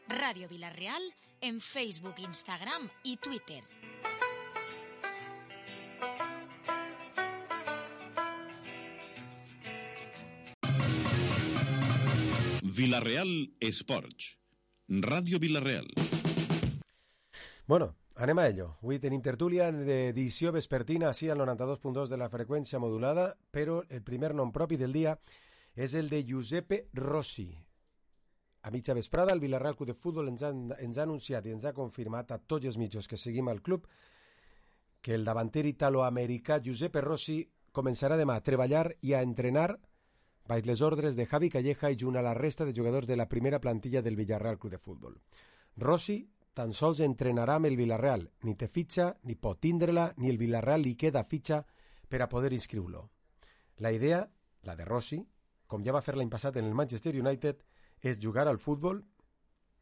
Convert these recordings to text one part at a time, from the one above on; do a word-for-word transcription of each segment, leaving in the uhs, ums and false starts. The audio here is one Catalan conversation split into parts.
Radio Villarreal en Facebook, Instagram y Twitter. Villarreal Esports. Ràdio Villarreal. Bueno, anem a ello. Avui tenim tertúlia d'edició vespertina, així al noranta-dos punt dos de la freqüència modulada, però el primer nom propi del dia és el de Giuseppe Rossi. A mitja vesprada, el Villarreal Club de Futbol ens ha, ens ha anunciat i ens ha confirmat a tots els mitjos que seguim al club que el davanter italoamericà Giuseppe Rossi començarà demà a treballar i a entrenar baix les ordres de Javi Calleja i junt a la resta de jugadors de la primera plantilla del Villarreal Club de Futbol. Rossi tan sols entrenarà amb el Villarreal, ni té fitxa, ni pot tindre-la, ni el Villarreal li queda fitxa per a poder inscriure-lo. La idea, la de Rossi, com ja va fer l'any passat en el Manchester United, és jugar al futbol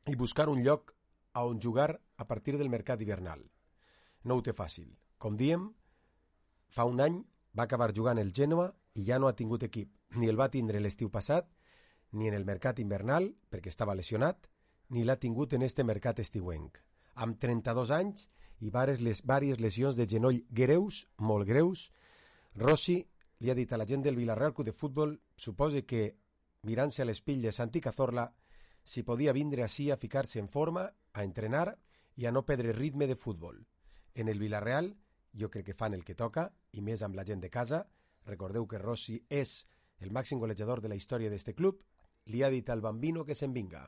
i buscar un lloc a on jugar a partir del mercat hivernal. No ho té fàcil. Com diem, fa un any va acabar jugant el Genoa i ja no ha tingut equip. Ni el va tindre l'estiu passat, ni en el mercat invernal, perquè estava lesionat, ni l'ha tingut en este mercat estiuenc. Amb trenta-dos anys i varies, les, varies lesions de genoll greus, molt greus, Rossi li ha dit a la gent del Villarreal Club de Futbol, suposa que mirant-se a l'espill de Santi Cazorla, si podia vindre així a ficar-se en forma, a entrenar i a no perdre ritme de futbol. En el Villarreal, jo crec que fan el que toca, i més amb la gent de casa. Recordeu que Rossi és el màxim golejador de la història d'este club. Li ha dit al bambino que se'n vinga.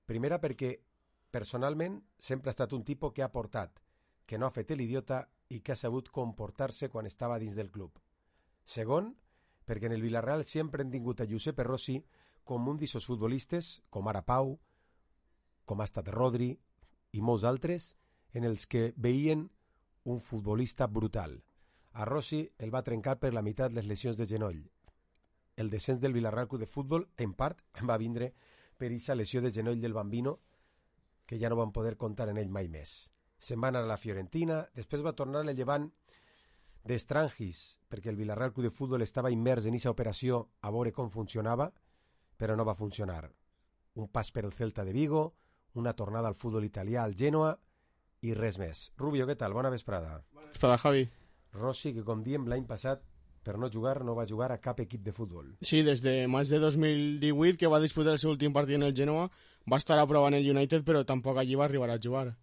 Primera perquè, personalment, sempre ha estat un tipus que ha portat, que no ha fet l'idiota i que ha sabut comportar-se quan estava dins del club. Segon, perquè en el Villarreal sempre hem tingut a Giuseppe Rossi com un d'ixos futbolistes, com ara Pau, com ha estat Rodri i molts altres, en els que veien un futbolista brutal. A Rossi el va trencar per la meitat les lesions de genoll. El descens del Villarreal Club de Futbol, en part, va vindre per aquesta lesió de genoll del bambino, que ja no van poder comptar en ell mai més. Se'n va anar a la Fiorentina, després va tornar al Llevant d'Estrangis, perquè el Villarreal Club de Futbol estava immers en aquesta operació a veure com funcionava, però no va funcionar. Un pas per el Celta de Vigo, una tornada al futbol italià al Genoa i res més. Rubio, què tal? Bona vesprada. Bona vesprada, Javi. Rossi, que com diem l'any passat, per no jugar, no va jugar a cap equip de futbol. Sí, des de maig de dos mil divuit, que va disputar el seu últim partit en el Genoa, va estar a prova en el United, però tampoc allí va arribar a jugar.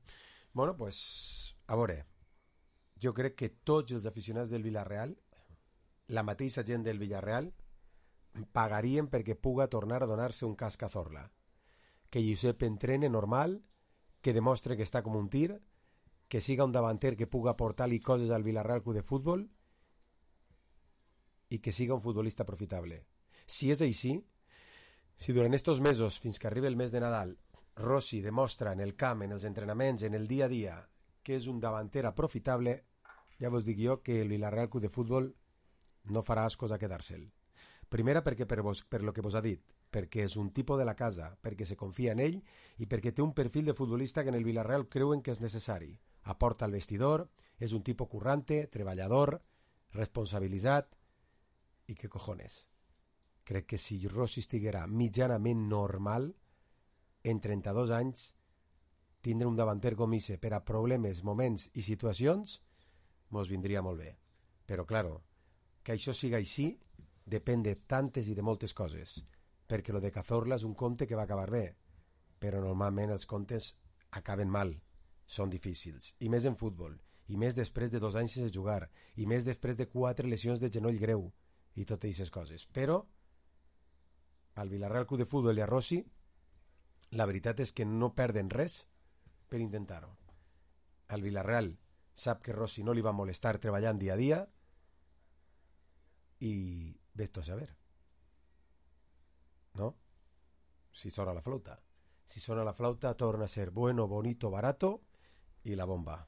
Bueno, pues, a veure, jo crec que tots els aficionats del Villarreal, la mateixa gent del Villarreal, pagarien perquè puga tornar a donar-se un cas Cazorla. Que Giuseppe entrene normal, que demostre que està com un tir, que siga un davanter que puga aportar-li coses al Villarreal Club de Futbol i que siga un futbolista profitable. Si és així, si durant estos mesos, fins que arribi el mes de Nadal, Rossi demostra en el camp, en els entrenaments, en el dia a dia, que és un davanter aprofitable, ja vos dic jo que el Villarreal Club de Futbol no farà ascos a quedar-se'l. Primera perquè per, vos, per lo que vos ha dit, perquè és un tipus de la casa, perquè se confia en ell i perquè té un perfil de futbolista que en el Villarreal creuen que és necessari. Aporta al vestidor, és un tipus currante, treballador, responsabilitzat i que cojones. Crec que si Rossi estiguera mitjanament normal, en trenta-dos anys, tindre un davanter com ixe per a problemes, moments i situacions, mos vindria molt bé. Però, claro, que això siga així depèn de tantes i de moltes coses, perquè lo de Cazorla és un conte que va acabar bé, però normalment els contes acaben mal, són difícils, i més en futbol, i més després de dos anys sense jugar, i més després de quatre lesions de genoll greu, i totes aquestes coses. Però al Villarreal Club de Futbol i a Rossi, la veritat és que no perden res per intentar-ho. Al Villarreal sap que Rossi no li va molestar treballant dia a dia i ves tu a saber. ¿No? Si sona la flauta. Si sona la flauta torna a ser bueno, bonito, barato y la bomba.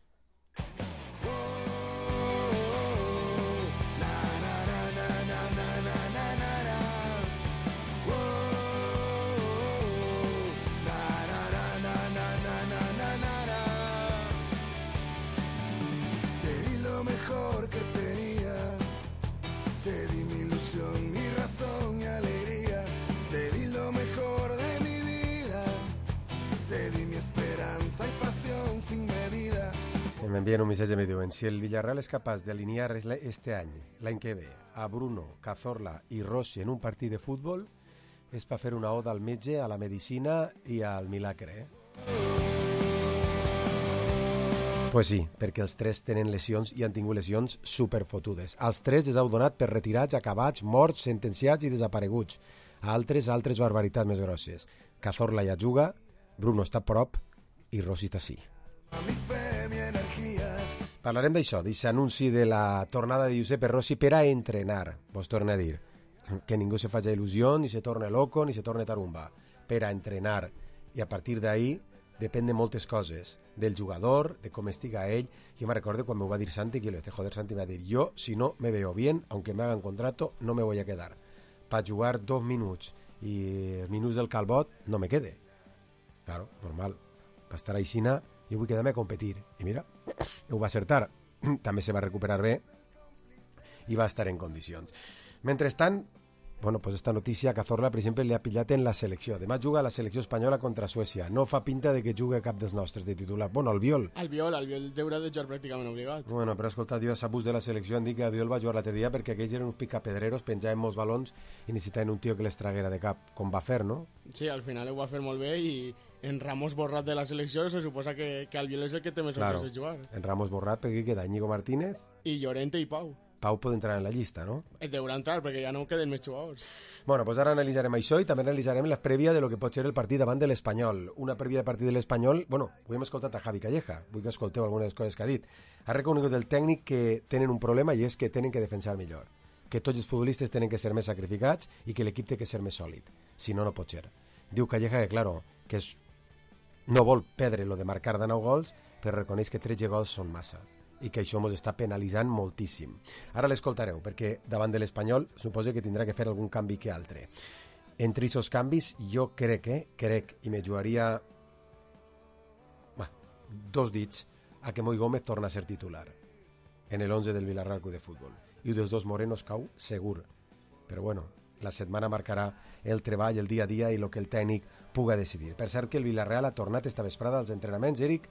Te m'envien un missatge i me diuen si el Villarreal és capaç d'alinear este any, l'any que ve, a Bruno, Cazorla i Rossi en un partit de futbol, és per fer una oda al metge, a la medicina i al milagre, eh? Pues sí, perquè els tres tenen lesions i han tingut lesions superfotudes. Els tres els heu donat per retirats, acabats, morts, sentenciats i desapareguts. A altres, altres barbaritats més grosses. Cazorla ja juga, Bruno està a prop i Rossi està sí. Parlarem d'això, d'aquest anunci de la tornada de Giuseppe Rossi per a entrenar. Vos torno a dir, que ningú se faci il·lusió, ni se torne loco, ni se torne tarumba. Per a entrenar. I a partir d'ahí depèn de moltes coses, del jugador, de com estiga ell. Jo me recordo quan me va dir Santi, que este joder Santi me va dir, yo si no me veo bien, aunque me hagan contrato, no me voy a quedar. Para jugar dos minuts i minuts del calbot, no me quede. Claro, normal. Per estar aixina, jo vull quedar-me a competir. I mira, ho va acertar. També se va recuperar bé i va estar en condicions. Mentrestant, bueno, pues esta notícia Cazorla, per exemple, li ha pillat en la selecció. Demà juga a la selecció espanyola contra Suècia. No fa pinta de que jugui cap dels nostres de titular. Bueno, Albiol. Albiol, Albiol deurà de jugar pràcticament obligat. Bueno, però escolta, jo a bus de la selecció han dit que Albiol va jugar l'altre dia perquè aquells eren uns picapedreros, penjaven molts balons i necessitaven un tio que les traguera de cap, com va fer, no? Sí, al final ho va fer molt bé i en Ramos borrat de la selecció se suposa que, que Albiol és el que té més claro, opcions de jugar. En Ramos borrat perquè queda Íñigo Martínez i Llorente i Pau. Pau pot entrar en la llista, no? Et deurà entrar, perquè ja no queden més jugadors. Bueno, pues ara analitzarem això i també analitzarem la prèvia de lo que pot ser el partit davant de l'Espanyol. Una prèvia de partit de l'Espanyol... Bueno, avui hem escoltat a Javi Calleja, vull que escolteu algunes de les coses que ha dit. Ha reconegut el tècnic que tenen un problema i és que tenen que defensar millor. Que tots els futbolistes tenen que ser més sacrificats i que l'equip té que ser més sòlid. Si no, no pot ser. Diu Calleja que, claro, que és... no vol perdre lo de marcar de nou gols, però reconeix que tretze gols són massa i que això ens està penalitzant moltíssim. Ara l'escoltareu, perquè davant de l'Espanyol suposo que tindrà que fer algun canvi que altre. Entre aquests canvis, jo crec, eh, crec, i me jugaria bah, dos dits a que Moi Gómez torna a ser titular en el once del Villarreal Club de Futbol. I dels dos morenos cau segur. Però bueno, la setmana marcarà el treball, el dia a dia i el que el tècnic puga decidir. Per cert que el Villarreal ha tornat esta vesprada als entrenaments, Eric,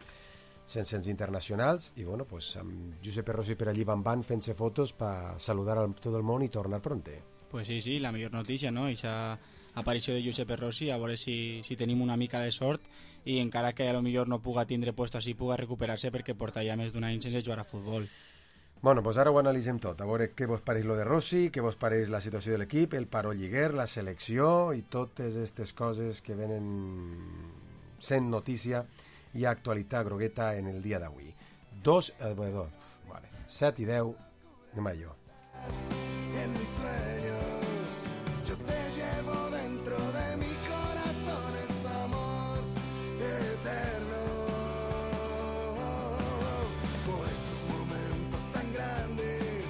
sense els internacionals, i bueno, pues, amb Giuseppe Rossi per allí van van fent-se fotos per saludar a tot el món i tornar pronte. Pues sí, sí, la millor notícia, no? Eixa aparició de Giuseppe Rossi, a veure si, si tenim una mica de sort i encara que a lo millor no puga tindre puesto així, puga recuperar-se perquè porta ja més d'un any sense jugar a futbol. Bueno, pues ara ho analitzem tot, a veure què vos pareix lo de Rossi, què vos pareix la situació de l'equip, el paro lliguer, la selecció i totes aquestes coses que venen sent notícia i actualitat grogueta en el dia d'avui. Dos, eh, bueno, vale, set i deu, anem a allò. En mis sueños yo te llevo dentro de mi corazón, es amor eterno. Por esos momentos tan grandes,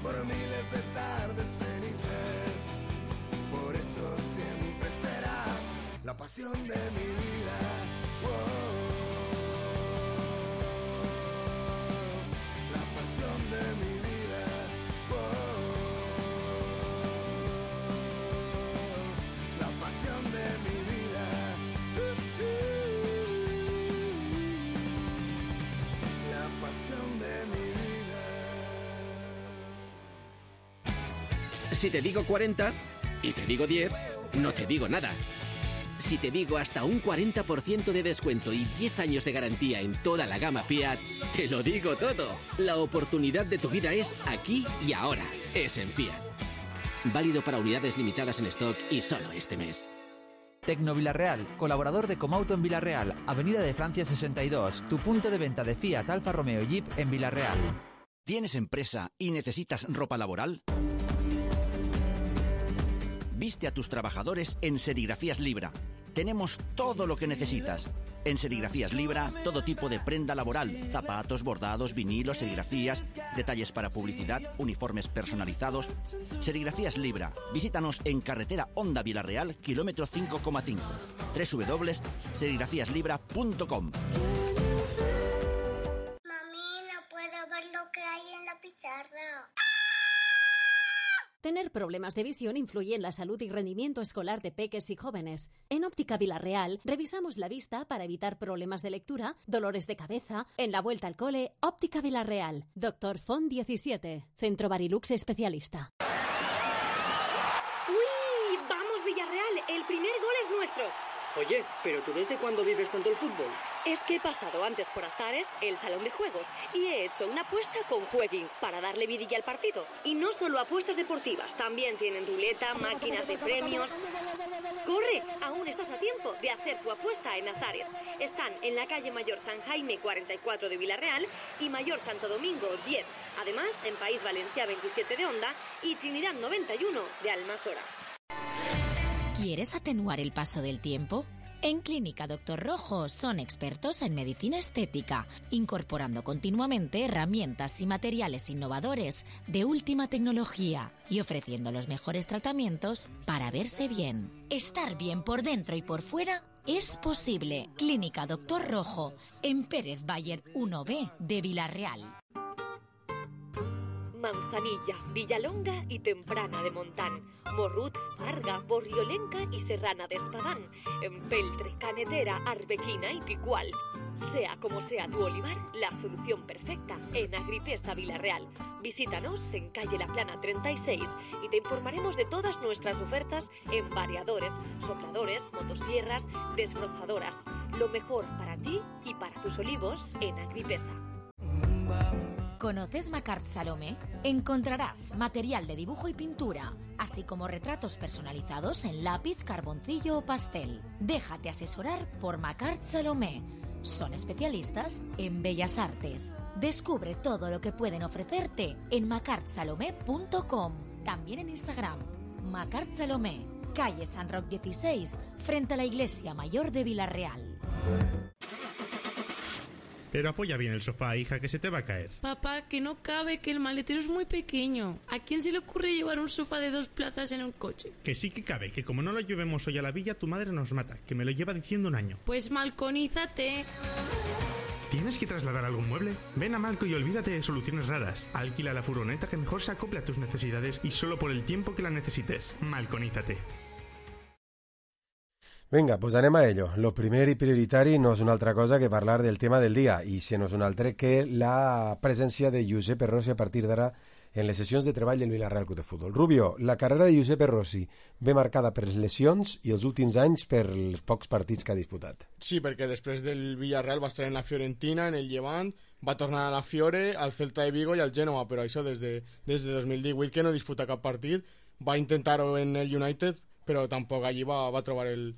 por miles de tardes felices, por eso siempre serás la pasión de mi vida. Wow. Si te digo cuarenta y te digo diez, no te digo nada. Si te digo hasta un cuarenta por ciento de descuento y diez años de garantía en toda la gama Fiat, te lo digo todo. La oportunidad de tu vida es aquí y ahora. Es en Fiat. Válido para unidades limitadas en stock y solo este mes. Tecno Villarreal, colaborador de Comauto en Villarreal, Avenida de Francia sesenta y dos, tu punto de venta de Fiat, Alfa Romeo y Jeep en Villarreal. ¿Tienes empresa y necesitas ropa laboral? Viste a tus trabajadores en Serigrafías Libra. Tenemos todo lo que necesitas. En Serigrafías Libra, todo tipo de prenda laboral, zapatos, bordados, vinilos, serigrafías, detalles para publicidad, uniformes personalizados. Serigrafías Libra. Visítanos en carretera Honda Villarreal, kilómetro cinco coma cinco. doble u doble u doble u punto serigrafías libra punto com. Mami, no puedo ver lo que hay en la pizarra. Tener problemas de visión influye en la salud y rendimiento escolar de peques y jóvenes. En Óptica Villarreal revisamos la vista para evitar problemas de lectura, dolores de cabeza. En la vuelta al cole, Óptica Villarreal. Doctor Font diecisiete. Centro Barilux especialista. ¡Uy! ¡Vamos, Villarreal! El primer gol es nuestro. Oye, ¿pero tú desde cuándo vives tanto el fútbol? Es que he pasado antes por Azares, el salón de juegos, y he hecho una apuesta con Jueguin para darle vidilla al partido. Y no solo apuestas deportivas, también tienen ruleta, máquinas de premios. ¡Corre! Aún estás a tiempo de hacer tu apuesta en Azares. Están en la calle Mayor San Jaime cuarenta y cuatro de Villarreal y Mayor Santo Domingo diez. Además, en País Valencià veintisiete de Onda y Trinidad noventa y uno de Almasora. ¿Quieres atenuar el paso del tiempo? En Clínica Doctor Rojo son expertos en medicina estética, incorporando continuamente herramientas y materiales innovadores de última tecnología y ofreciendo los mejores tratamientos para verse bien. Estar bien por dentro y por fuera es posible. Clínica Doctor Rojo, en Pérez Bayer uno B de Villarreal. Manzanilla, Villalonga y Temprana de Montán, Morrut, Farga, Borriolenca y Serrana de Espadán, Empeltre, Canetera, Arbequina y Picual. Sea como sea tu olivar, la solución perfecta en Agripesa Villarreal. Visítanos en calle La Plana treinta y seis y te informaremos de todas nuestras ofertas en variadores, sopladores, motosierras, desbrozadoras. Lo mejor para ti y para tus olivos en Agripesa. ¿Conoces Macart Salomé? Encontrarás material de dibujo y pintura, así como retratos personalizados en lápiz, carboncillo o pastel. Déjate asesorar por Macart Salomé. Son especialistas en bellas artes. Descubre todo lo que pueden ofrecerte en macart salomé punto com. También en Instagram, Macart Salomé, calle San Roc dieciséis, frente a la Iglesia Mayor de Villarreal. Pero apoya bien el sofá, hija, que se te va a caer. Papá, que no cabe, que el maletero es muy pequeño. ¿A quién se le ocurre llevar un sofá de dos plazas en un coche? Que sí que cabe, que como no lo llevemos hoy a la villa, tu madre nos mata, que me lo lleva diciendo un año. Pues malconízate. ¿Tienes que trasladar algún mueble? Ven a Malco y olvídate de soluciones raras. Alquila la furgoneta que mejor se acople a tus necesidades y solo por el tiempo que la necesites. Malconízate. Vinga, doncs anem a ello. Lo primer i prioritari no és una altra cosa que parlar del tema del dia, i si no és un altre que la presència de Giuseppe Rossi a partir d'ara en les sessions de treball del Villarreal Club de Futbol. Rubio, la carrera de Giuseppe Rossi ve marcada per les lesions i els últims anys per els pocs partits que ha disputat. Sí, perquè després del Villarreal va estar en la Fiorentina, en el Llevant, va tornar a la Fiore, al Celta de Vigo i al Genoa, però això des de, des de dos mil divuit que no disputa cap partit. Va intentar-ho en el United, però tampoc allí va, va trobar el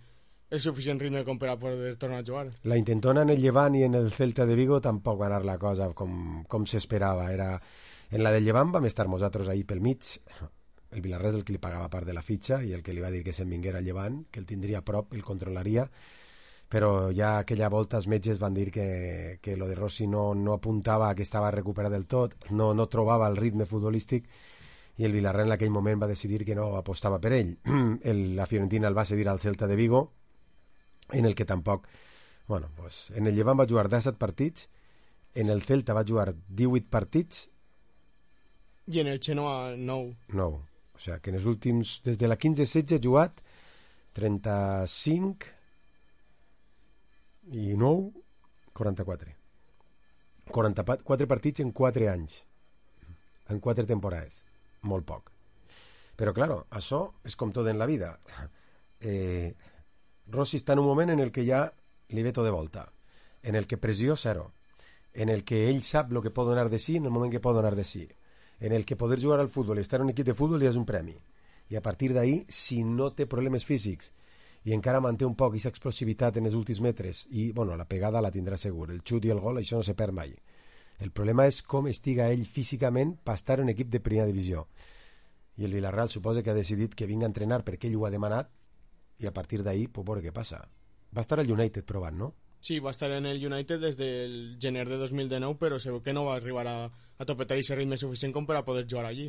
el suficient ritme com per a poder tornar a jugar. La intentona en el Llevant i en el Celta de Vigo tampoc va anar la cosa com, com s'esperava. Era... En la del Llevant vam estar nosaltres ahir pel mig. El Villarreal és el que li pagava part de la fitxa i el que li va dir que se'n vinguera al Llevant, que el tindria a prop, el controlaria, però ja aquella volta els metges van dir que, que lo de Rossi no, no apuntava que estava recuperat del tot, no, no trobava el ritme futbolístic i el Villarreal en aquell moment va decidir que no apostava per ell. El, la Fiorentina el va cedir al Celta de Vigo, en el que tampoc... Bueno, pues, en el Llevant va jugar disset partits, en el Celta va jugar divuit partits... I en el Genoa nou. nou. O sigui, que en els últims... Des de la quinze setze ha jugat trenta-cinc i nou, quaranta-quatre. quaranta-quatre partits en quatre anys. En quatre temporades. Molt poc. Però, claro, això és com tot en la vida. Eh... Rossi està en un moment en el que ja li ve tot de volta, en el que pressió zero, en el que ell sap el que pot donar de si en el moment que pot donar de si, en el que poder jugar al futbol i estar en un equip de futbol ja és un premi. I a partir d'ahí, si no té problemes físics i encara manté un poc aquesta explosivitat en els últims metres, i bueno, la pegada la tindrà segur, el xut i el gol, això no se perd mai. El problema és com estiga ell físicament per estar en un equip de primera divisió. I el Villarreal suposa que ha decidit que vinga a entrenar perquè ell ho ha demanat, i a partir d'ahí, pues, veure què passa. Va estar al United provant, no? Sí, va estar en el United des del gener de dos mil dinou, però segur que no va arribar a, a topetar aquest ritme suficient com per a poder jugar allí.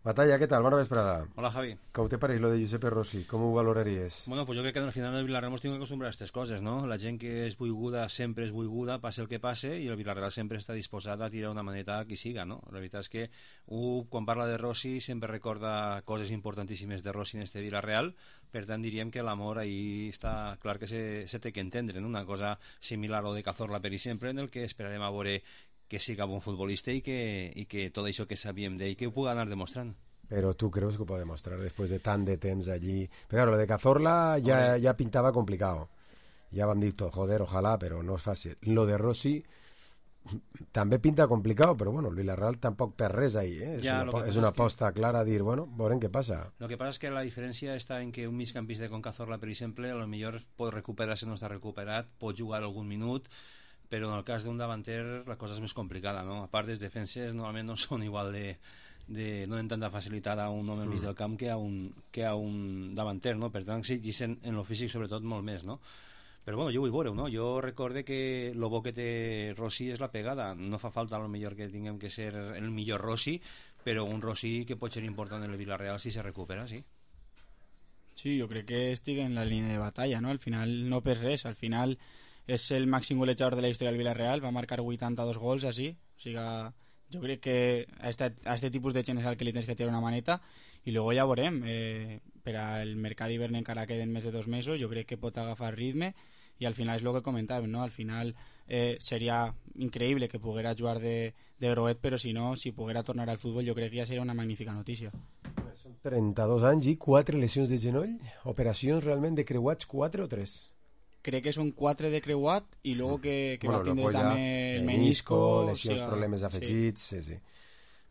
Batalla, ¿qué tal? Buena vesprada. Hola, Javi. ¿Cómo te parece lo de Giuseppe Rossi? ¿Cómo ho valoraries? Bueno, pues yo creo que al final del Villarreal hemos tenido que acostumbrar a estas coses, no? La gent que és buiguda sempre és buiguda, passe el que passe, i el Villarreal sempre està disposat a tirar una maneta a qui siga, no? La veritat és que un, quan parla de Rossi, sempre recorda coses importantíssimes de Rossi en este Villarreal, per tant diríem que l'amor ahí està clar que se, se té que entendre, no? Una cosa similar a lo de Cazorla per sempre, en el que esperarem a veure que siga bon futbolista i que, i que tot això que sabíem d'ell que ho pugui anar demostrant. Pero tú crees que puede demostrar después de tan de temps allí. Pero claro, lo de Cazorla ya, ya pintaba complicado. Ya van dicho, joder, ojalá, pero no es fácil. Lo de Rossi també pinta complicado, però bueno, el Villarreal tampoc per res ahí, eh? És ja, una, és una aposta que... clara a dir, bueno, veurem què passa. Lo que pasa es que la diferència està en que un migcampista con Cazorla, per exemple, a lo millor pot recuperar-se, no està recuperat, pot jugar algun minut, però en el cas d'un davanter la cosa és més complicada, no? A part, les defenses normalment no són igual de... de no en tanta facilitat a un home al mig del camp que a un, que a un davanter, no? Per tant, exigeixen en lo físic sobretot molt més, no? Però bueno, jo vull veure-ho, no? Jo recorde que lo bo que té Rossi és la pegada. No fa falta a lo millor que tinguem que ser el millor Rossi, però un Rossi que pot ser important en el Villarreal si se recupera, sí. Sí, jo crec que estic en la línia de batalla, no? Al final no per res, al final és el màxim golejador de la història del Villarreal, va marcar vuitanta-dos gols així, o sigui, jo crec que a este, a este tipus de gent és el que li tens que tirar una maneta i luego ja veurem, eh, per al mercat d'hivern encara queden més de dos mesos, jo crec que pot agafar ritme i al final és el que comentàvem, no? Al final eh, seria increïble que poguera jugar de, de groguet, però si no, si poguera tornar al futbol jo crec que ja seria una magnífica notícia. Són trenta-dos anys i quatre lesions de genoll, operacions realment de creuats, quatre o tres? Crec que són quatre de creuat i luego que, que bueno, va tindre també el menisco, lesions, o sigui, problemes afegits, sí. sí, sí.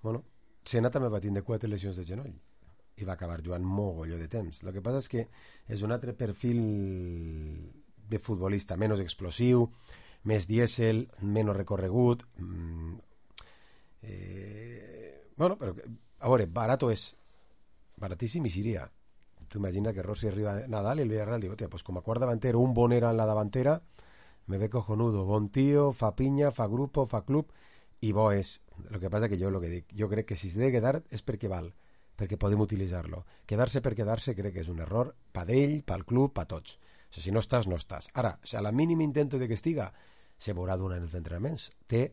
Bueno, Senna també va tindre quatre lesions de genoll i va acabar jugant mogolló de temps. El que passa és que és un altre perfil de futbolista, menys explosiu, més dièsel, menys recorregut. Mm, eh, bueno, però a veure, barato és baratíssim i seria. Tu imagina que Rossi arriba a Nadal y el Villarreal digo, tío, pues como a cuart davantero, un Bonera en la davantera, me ve cojonudo, bon tío, fa pinya, fa grupo, fa club, i bo és. Lo que passa que jo lo que dic, jo crec que si s'ha de quedar és perquè val, perquè podem utilitzar-lo. Quedar-se per quedar-se crec que és un error pa d'ell, pel club, pa tots. O sigui, si no estàs, no estàs. Ara, si a la mínima intento de que estiga, se veurà durant els entrenaments. Té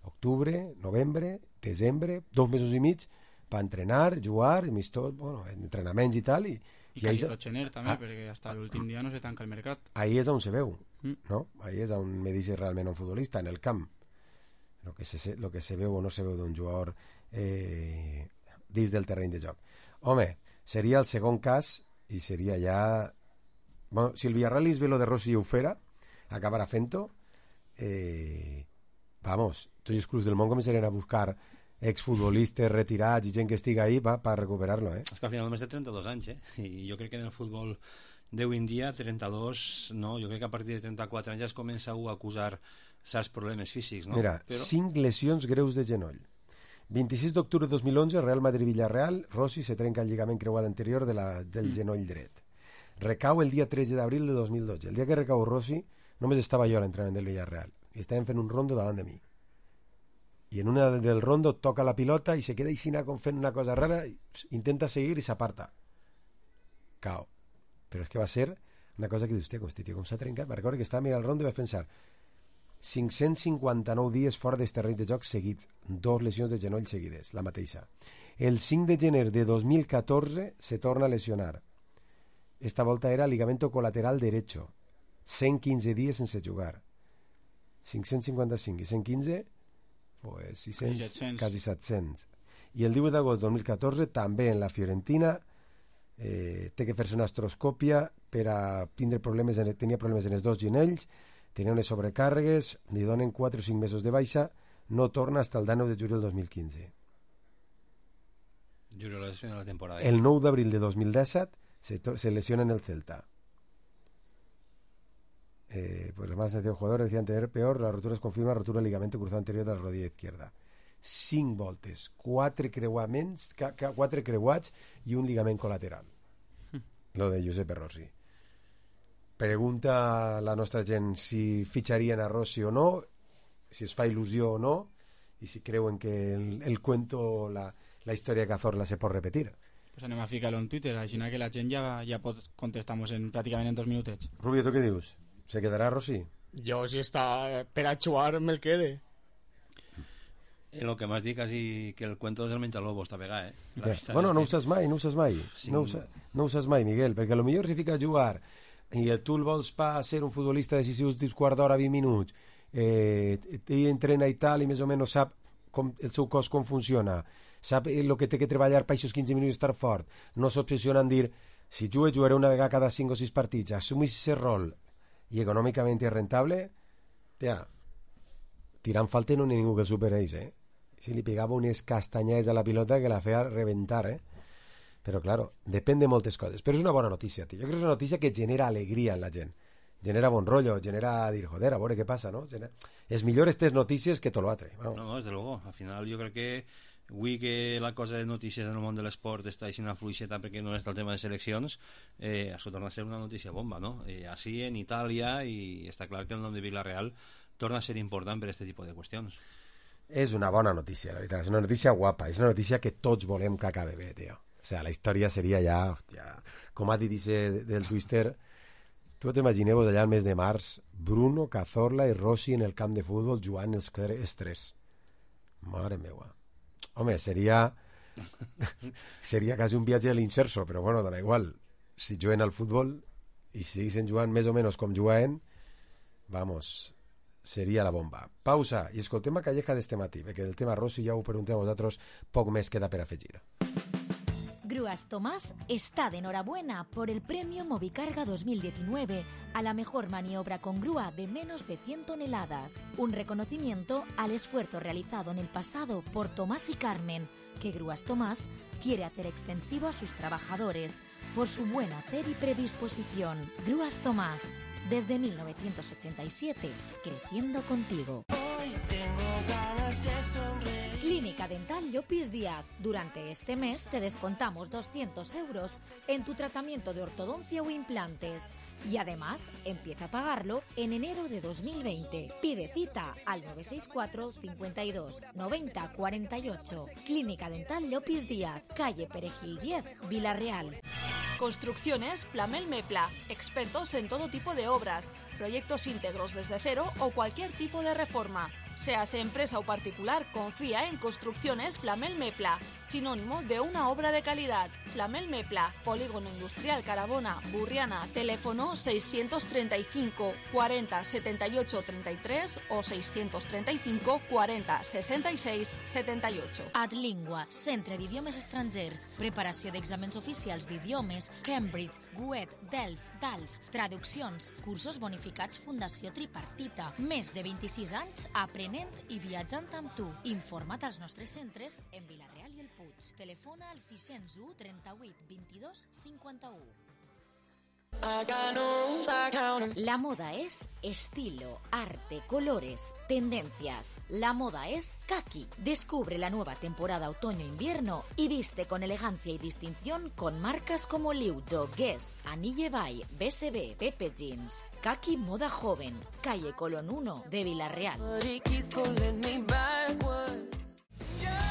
octubre, novembre, desembre, dos mesos i mig, per entrenar, jugar, tot, bueno, entrenaments i tal, i, i quasi tot gener també, ah, perquè fins l'últim dia no se tanca el mercat. Ahí és on se veu, mm. no? Ahí és on me dice realment un futbolista, en el camp. Lo que se, lo que se veu o no se veu d'un jugador eh, dins del terreny de joc. Home, seria el segon cas i seria ja... Bueno, si el Villarreal és lo de Rossi i ho fera, acabarà fent-ho, eh, vamos, tots els clubs del món començarien a buscar exfutbolistes retirats i gent que estiga ahí per pa recuperar-lo, eh? És que al final només té trenta-dos anys, eh? I jo crec que en el futbol d'avui en dia, trenta-dos, no, jo crec que a partir de trenta-quatre anys ja es comença a acusar certs problemes físics, no? Mira, Però... cinc lesions greus de genoll. vint-i-sis d'octubre de dos mil onze, Real Madrid-Villarreal, Rossi se trenca el lligament creuat anterior de la, del mm. genoll dret. Recau el dia tretze d'abril de dos mil dotze. El dia que recau Rossi, només estava jo a l'entrenament del Villarreal i estàvem fent un rondo davant de mi. I en una del rondo toca la pilota i se queda així com fent una cosa rara, intenta seguir i s'aparta. Cao. Però és que va ser una cosa que dius, hòstia, com este tio com s'ha trencat. Me recordo que estava mirant el rondo i vaig pensar cinc-cents cinquanta-nou dies fora dels terrenys de joc seguits, dos lesions de genoll seguides, la mateixa. El cinc de gener de dos mil catorze se torna a lesionar. Esta volta era ligamento colateral derecho, cent quinze dies sense jugar. cinc-cents cinquanta-cinc i cent quinze, pues sis-cents, quasi set-cents. I el divuit d'agost de dos mil catorze, també en la Fiorentina, eh, té que fer-se una astroscòpia per a tindre problemes, en, tenia problemes en els dos ginells, tenia unes sobrecàrregues, li donen quatre o cinc mesos de baixa, no torna fins el nou de juliol del dos mil quinze. Juliol és la temporada. El nou d'abril de dos mil disset se, se lesiona en el Celta. Eh, pues los más de jugador decían tener peor, la rotura es confirma rotura del ligamento cruzado anterior de la rodilla izquierda. Cinc voltes, quatre creuaments, ca, ca, quatre creuats i un ligament col·lateral. Hm. Lo de Giuseppe Rossi. Pregunta la nostra gent si fitxarien a Rossi o no, si es fa il·lusió o no, i si creuen que el, el cuento, la, la història de Cazorla se pot repetir. Pues anem a ficar-lo en Twitter, així que la gent ja, ja pot contestar-nos en, pràcticament en dos minutets. Rubio, ¿tú qué dius? ¿Se quedará Rossi? Yo, si está per a jugar, me el quede. En lo que m'has dit quasi que el cuento del menjalobos està pegat, eh? Ja. Bueno, no ho saps mai, no ho saps mai. Sí. No, ho sa, no ho saps mai, Miguel, perquè potser si fica a jugar i el tu el vols pa ser un futbolista decisiu dins quart d'hora, vint minuts, eh, i entrena i tal, i més o menys sap com, el seu cos com funciona, sap el que té que treballar per aquests quinze minuts estar fort, no s'obsessiona en dir si jugue, jugaré una vegada cada cinc o sis partits, assumís ese rol i econòmicament és rentable, tia, tirant falta no n'hi ha ningú que el supereix, eh? Si li pegava unes castanyades a la pilota que la feia reventar, eh? Però, claro, depèn de moltes coses. Però és una bona notícia, tio. Jo crec que és una notícia que genera alegria en la gent. Genera bon rotllo, genera dir, joder, a veure què passa, no? Genera... És millor aquestes notícies que tot l'altre. No, no, desde luego. Al final jo crec que avui que la cosa de notícies en el món de l'esport està així una fluixeta perquè no està el tema de seleccions, eh, això torna a ser una notícia bomba, no? Eh, així en Itàlia, i està clar que el nom de Villarreal torna a ser important per aquest tipus de qüestions. És una bona notícia, la veritat. És una notícia guapa. És una notícia que tots volem que acabe bé, tio. O sea, la història seria ja... ja com ha dit dice del Twister, tu t'imagineu allà al mes de març Bruno, Cazorla i Rossi en el camp de futbol jugant els tres. Mare meua. Home, seria... seria quasi un viatge a l'inserso, però bueno, dona igual. Si juguen al futbol i siguin jugant més o menys com juguen, vamos... seria la bomba. Pausa i escoltem a Calleja d'este matí, perquè el tema Rossi ja ho preguntem a vosaltres, poc més queda per afegir. Grúas Tomás está de enhorabuena por el premio Movicarga dos mil diecinueve a la mejor maniobra con grúa de menos de cien toneladas. Un reconocimiento al esfuerzo realizado en el pasado por Tomás y Carmen, que Grúas Tomás quiere hacer extensivo a sus trabajadores por su buen hacer y predisposición. Grúas Tomás, desde mil novecientos ochenta y siete, creciendo contigo. Hoy tengo ganas de sonreír. Clínica Dental Llopis Díaz. Durante este mes te descontamos doscientos euros en tu tratamiento de ortodoncia o implantes. Y además, empieza a pagarlo en enero de dos mil veinte. Pide cita al nueve seis cuatro, cincuenta y dos, noventa, cuarenta y ocho. Clínica Dental Llopis Díaz, calle Perejil diez, Villarreal. Construcciones Plamel Mepla, expertos en todo tipo de obras, proyectos íntegros desde cero o cualquier tipo de reforma. Seas empresa o particular, confía en Construcciones Plamel Mepla, sinónimo de una obra de calidad. Plamel Mepla, Polígono Industrial Carabona, Burriana, teléfono seiscientos treinta y cinco, cuarenta, setenta y ocho, treinta y tres o seiscientos treinta y cinco, cuarenta, sesenta y seis, setenta y ocho. Adlingua, Centre d'Idiomes Estrangers, preparació d'exàmens oficials d'idiomes, Cambridge, Goethe, Delft, Dalf, traduccions, cursos bonificats Fundació Tripartita, més de vint-i-sis anys aprenent i viatjant amb tu. Informa't als nostres centres en Vilareal i el Puig. Telefona al sis zero u, trenta-vuit, vint-i-dos, cinquanta-u. La moda es estilo, arte, colores, tendencias. La moda es Kaki. Descubre la nueva temporada otoño-invierno y viste con elegancia y distinción con marcas como Liujo, Guess, Anille Bay, B S B, Pepe Jeans. Kaki Moda Joven, calle Colón uno de Villarreal.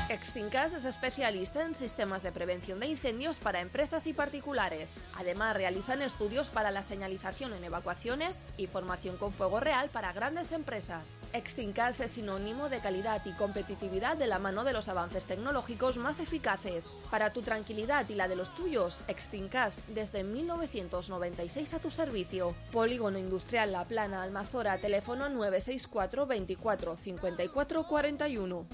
Extincas es especialista en sistemas de prevención de incendios para empresas y particulares. Además, realizan estudios para la señalización en evacuaciones y formación con fuego real para grandes empresas. Extincas es sinónimo de calidad y competitividad de la mano de los avances tecnológicos más eficaces. Para tu tranquilidad y la de los tuyos, Extincas desde mil novecientos noventa y seis a tu servicio. Polígono Industrial La Plana, Almazora, teléfono nueve seis cuatro, veinticuatro, cincuenta y cuatro, cuarenta y uno.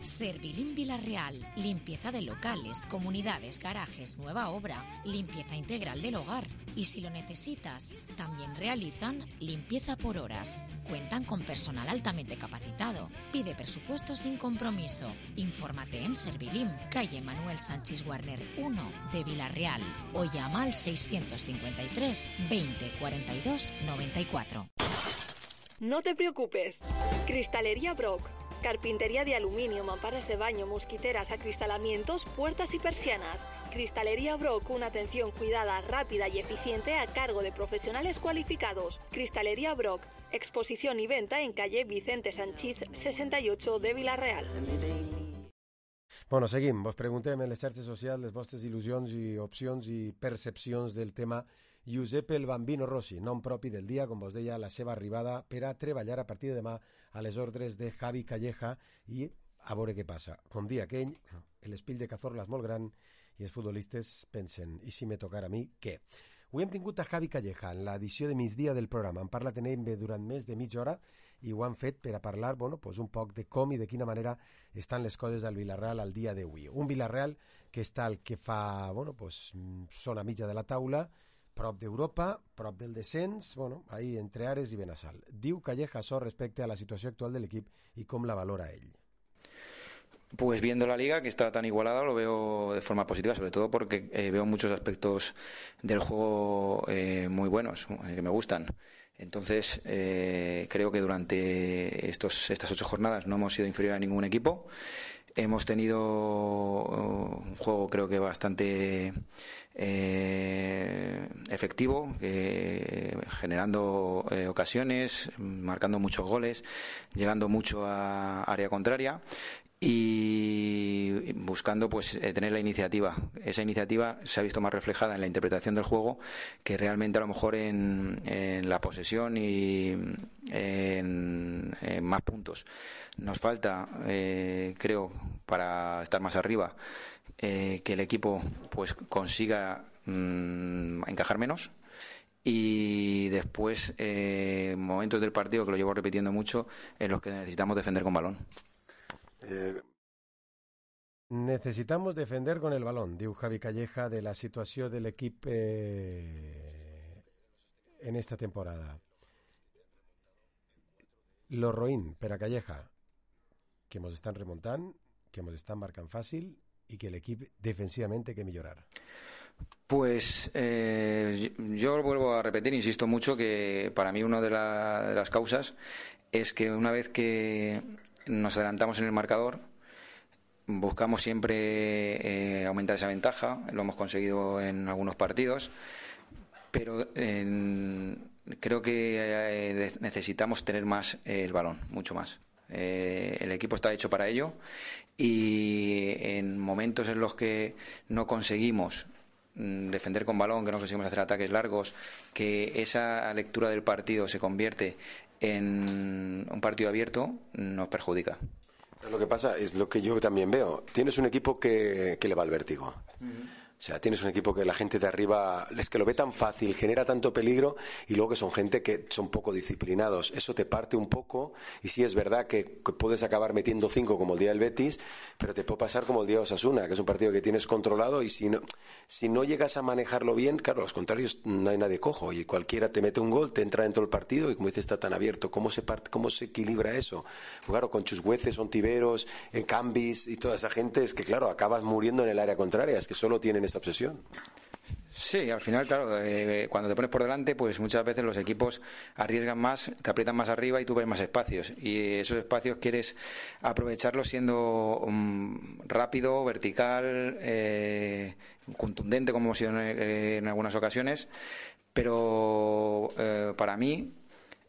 Servilim Villarreal, limpieza de locales, comunidades, garajes, nueva obra, limpieza integral del hogar. Y si lo necesitas, también realizan limpieza por horas. Cuentan con personal altamente capacitado. Pide presupuesto sin compromiso. Infórmate en Servilim, calle Manuel Sánchez Warner uno de Villarreal o llama al seiscientos cincuenta y tres, veinte, cuarenta y dos, noventa y cuatro. No te preocupes. Cristalería Brock. Carpintería de aluminio, mamparas de baño, mosquiteras, acristalamientos, puertas y persianas. Cristalería Brock, una atención cuidada, rápida y eficiente a cargo de profesionales cualificados. Cristalería Brock, exposición y venta en calle Vicente Sanchís sesenta y ocho de Villarreal. Bueno, seguim. Vos preguntem en les xarxes socials les vostres il·lusions i opcions i percepcions del tema Giuseppe el Bambino Rossi, nom propi del dia, com vos deia, la seva arribada per a treballar a partir de demà a les ordres de Javi Calleja i a veure què passa. Com dia aquell, l'espill de Cazorla és molt gran i els futbolistes pensen, i si me tocara a mi, què? Avui hem tingut a Javi Calleja en l'edició de migdia del programa. Han parlat en ell durant més de mitja hora i ho han fet per a parlar bueno, pues un poc de com i de quina manera estan les coses del Villarreal al dia d'avui. Un Villarreal que està el que fa, bueno, pues, zona mitja de la taula, prop d'Europa, prop del descens, bueno, ahí entre Ares i Benassal. Diu Calleja això respecte a la situació actual de l'equip i com la valora ell. Pues viendo la liga, que está tan igualada, lo veo de forma positiva, sobre todo porque eh, veo muchos aspectos del juego eh, muy buenos, eh, que me gustan. Entonces, eh, creo que durante estos, estas ocho jornadas no hemos sido inferior a ningún equipo. Hemos tenido un juego, creo que bastante eh, efectivo, eh, generando eh, ocasiones, marcando muchos goles, llegando mucho a área contraria y buscando pues eh, tener la iniciativa. Esa iniciativa se ha visto más reflejada en la interpretación del juego que realmente a lo mejor en, en la posesión y en, en más puntos. Nos falta, eh, creo, para estar más arriba, eh, que el equipo pues consiga mmm, encajar menos. Y después eh, momentos del partido, que lo llevo repitiendo mucho, en los que necesitamos defender con balón. Eh, necesitamos defender con el balón, diu Javi Calleja, de la situació de l'equip eh, en esta temporada. Lo roïn per a Calleja, que mos estan remuntant, que mos estan marcant fàcil i que l'equip defensivament té que millorar. Pues eh, yo vuelvo a repetir, insisto mucho, que para mí una de, la, de las causas es que una vez que nos adelantamos en el marcador, buscamos siempre eh, aumentar esa ventaja. Lo hemos conseguido en algunos partidos, pero en, creo que eh, necesitamos tener más eh, el balón, mucho más. Eh, el equipo está hecho para ello y en momentos en los que no conseguimos defender con balón, que no conseguimos hacer ataques largos, que esa lectura del partido se convierte en un partido abierto, nos perjudica. Lo que pasa es lo que yo también veo. Tienes un equipo que, que le va al vértigo. Uh-huh. O sea, tienes un equipo que la gente de arriba es que lo ve tan fácil, genera tanto peligro, y luego que son gente que son poco disciplinados. Eso te parte un poco, y sí es verdad que, que puedes acabar metiendo cinco como el día del Betis, pero te puede pasar como el día de Osasuna, que es un partido que tienes controlado, y si no, si no llegas a manejarlo bien, claro, a los contrarios no hay nadie cojo, y cualquiera te mete un gol, te entra dentro del partido, y como dices, está tan abierto. ¿Cómo se parte, cómo se equilibra eso? Pues claro, con Chusgueces, Ontiveros, en Cambis y toda esa gente, es que claro, acabas muriendo en el área contraria, es que solo tienen esa obsesión. Sí, al final, claro, eh, cuando te pones por delante, pues muchas veces los equipos arriesgan más, te aprietan más arriba y tú ves más espacios. Y esos espacios quieres aprovecharlos siendo um, rápido, vertical, eh, contundente, como hemos sido en, eh, en algunas ocasiones. Pero eh, para mí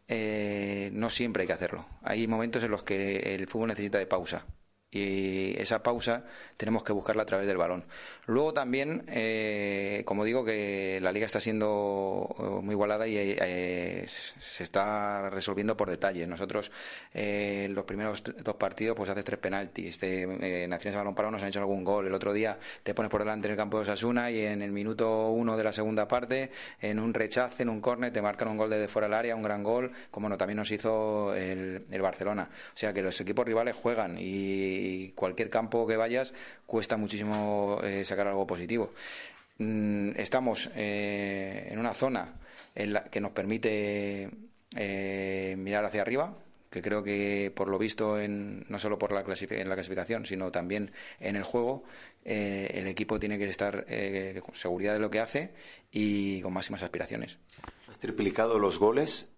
eh, no siempre hay que hacerlo. Hay momentos en los que el fútbol necesita de pausa. Y esa pausa tenemos que buscarla a través del balón. Luego también, eh, como digo, que la liga está siendo muy igualada y eh, se está resolviendo por detalles. Nosotros, eh, los primeros dos partidos, pues haces tres penaltis. De, eh, Naciones de Balón Parado nos han hecho algún gol. El otro día te pones por delante en el campo de Osasuna y en el minuto uno de la segunda parte, en un rechace, en un córner, te marcan un gol desde fuera del área, un gran gol, como no, también nos hizo el, el Barcelona. O sea que los equipos rivales juegan y y cualquier campo que vayas cuesta muchísimo eh, sacar algo positivo. Mm, estamos eh, en una zona en la que nos permite eh, mirar hacia arriba, que creo que por lo visto en, no solo por la clasific- en la clasificación, sino también en el juego, eh, el equipo tiene que estar eh, con seguridad de lo que hace y con máximas aspiraciones. ¿Has triplicado los goles?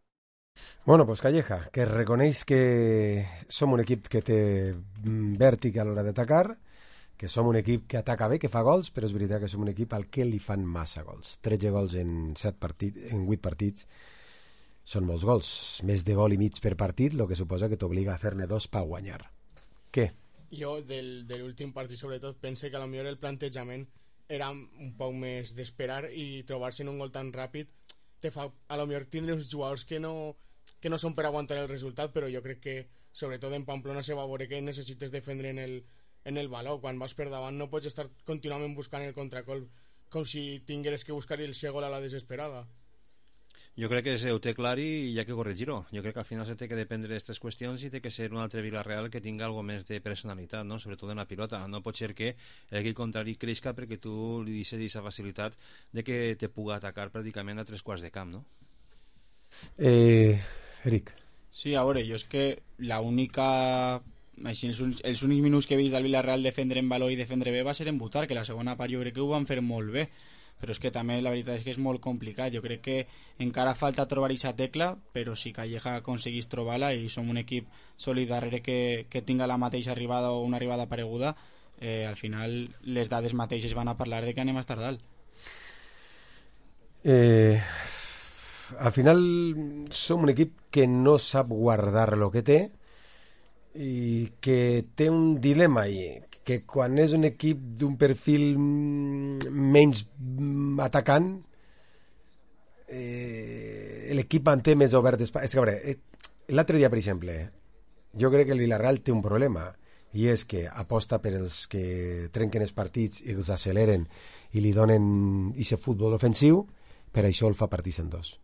Bueno, pues Calleja, que reconeix que som un equip que té vèrtic a l'hora d'atacar, que som un equip que ataca bé, que fa gols, però és veritat que som un equip al que li fan massa gols. tretze gols en set partits, en vuit partits, són molts gols. Més de gol i mig per partit, el que suposa que t'obliga a fer-ne dos per guanyar. Què? Jo, del, de l'últim partit, sobretot, pense que a lo millor el plantejament era un poc més d'esperar i trobar-se en un gol tan ràpid te fa a lo millor tindre uns jugadors que no, que no són per aguantar el resultat, però jo crec que sobretot en Pamplona se va veure que necessites defendre en el, en el valor. Quan vas per davant no pots estar contínuament buscant el contracolp com si tingueres que buscar el segon a la desesperada. Jo crec que ho té clar i hi ha que corregir-ho. Jo crec que al final se té que dependre d'aquestes qüestions i té que ser un altre Villarreal que tinga algo més de personalitat, no? Sobretot en la pilota. No pot ser que l'equip contrari creixca perquè tu li deixes aquesta facilitat de que te puga atacar pràcticament a tres quarts de camp, no? Eh, Eric. Sí, a veure, jo és que l'única... Així, els, els únics minuts que he vist del Villarreal defendre en valor i defendre bé va ser en Butar, que la segona part jo crec que ho van fer molt bé, però és que també la veritat és que és molt complicat. Jo crec que encara falta trobar aquesta tecla, però si Calleja aconseguís trobar-la i som un equip sòlid darrere que, que tinga la mateixa arribada o una arribada pareguda, eh, al final les dades mateixes van a parlar de que anem a estar dalt. Eh, al final som un equip que no sap guardar lo que té i que té un dilema i que quan és un equip d'un perfil menys atacant eh, l'equip manté més obert espai. És que, a veure, l'altre dia, per exemple, jo crec que el Villarreal té un problema i és que aposta per els que trenquen els partits i els acceleren i li donen aquest futbol ofensiu, per això el fa partits en dos.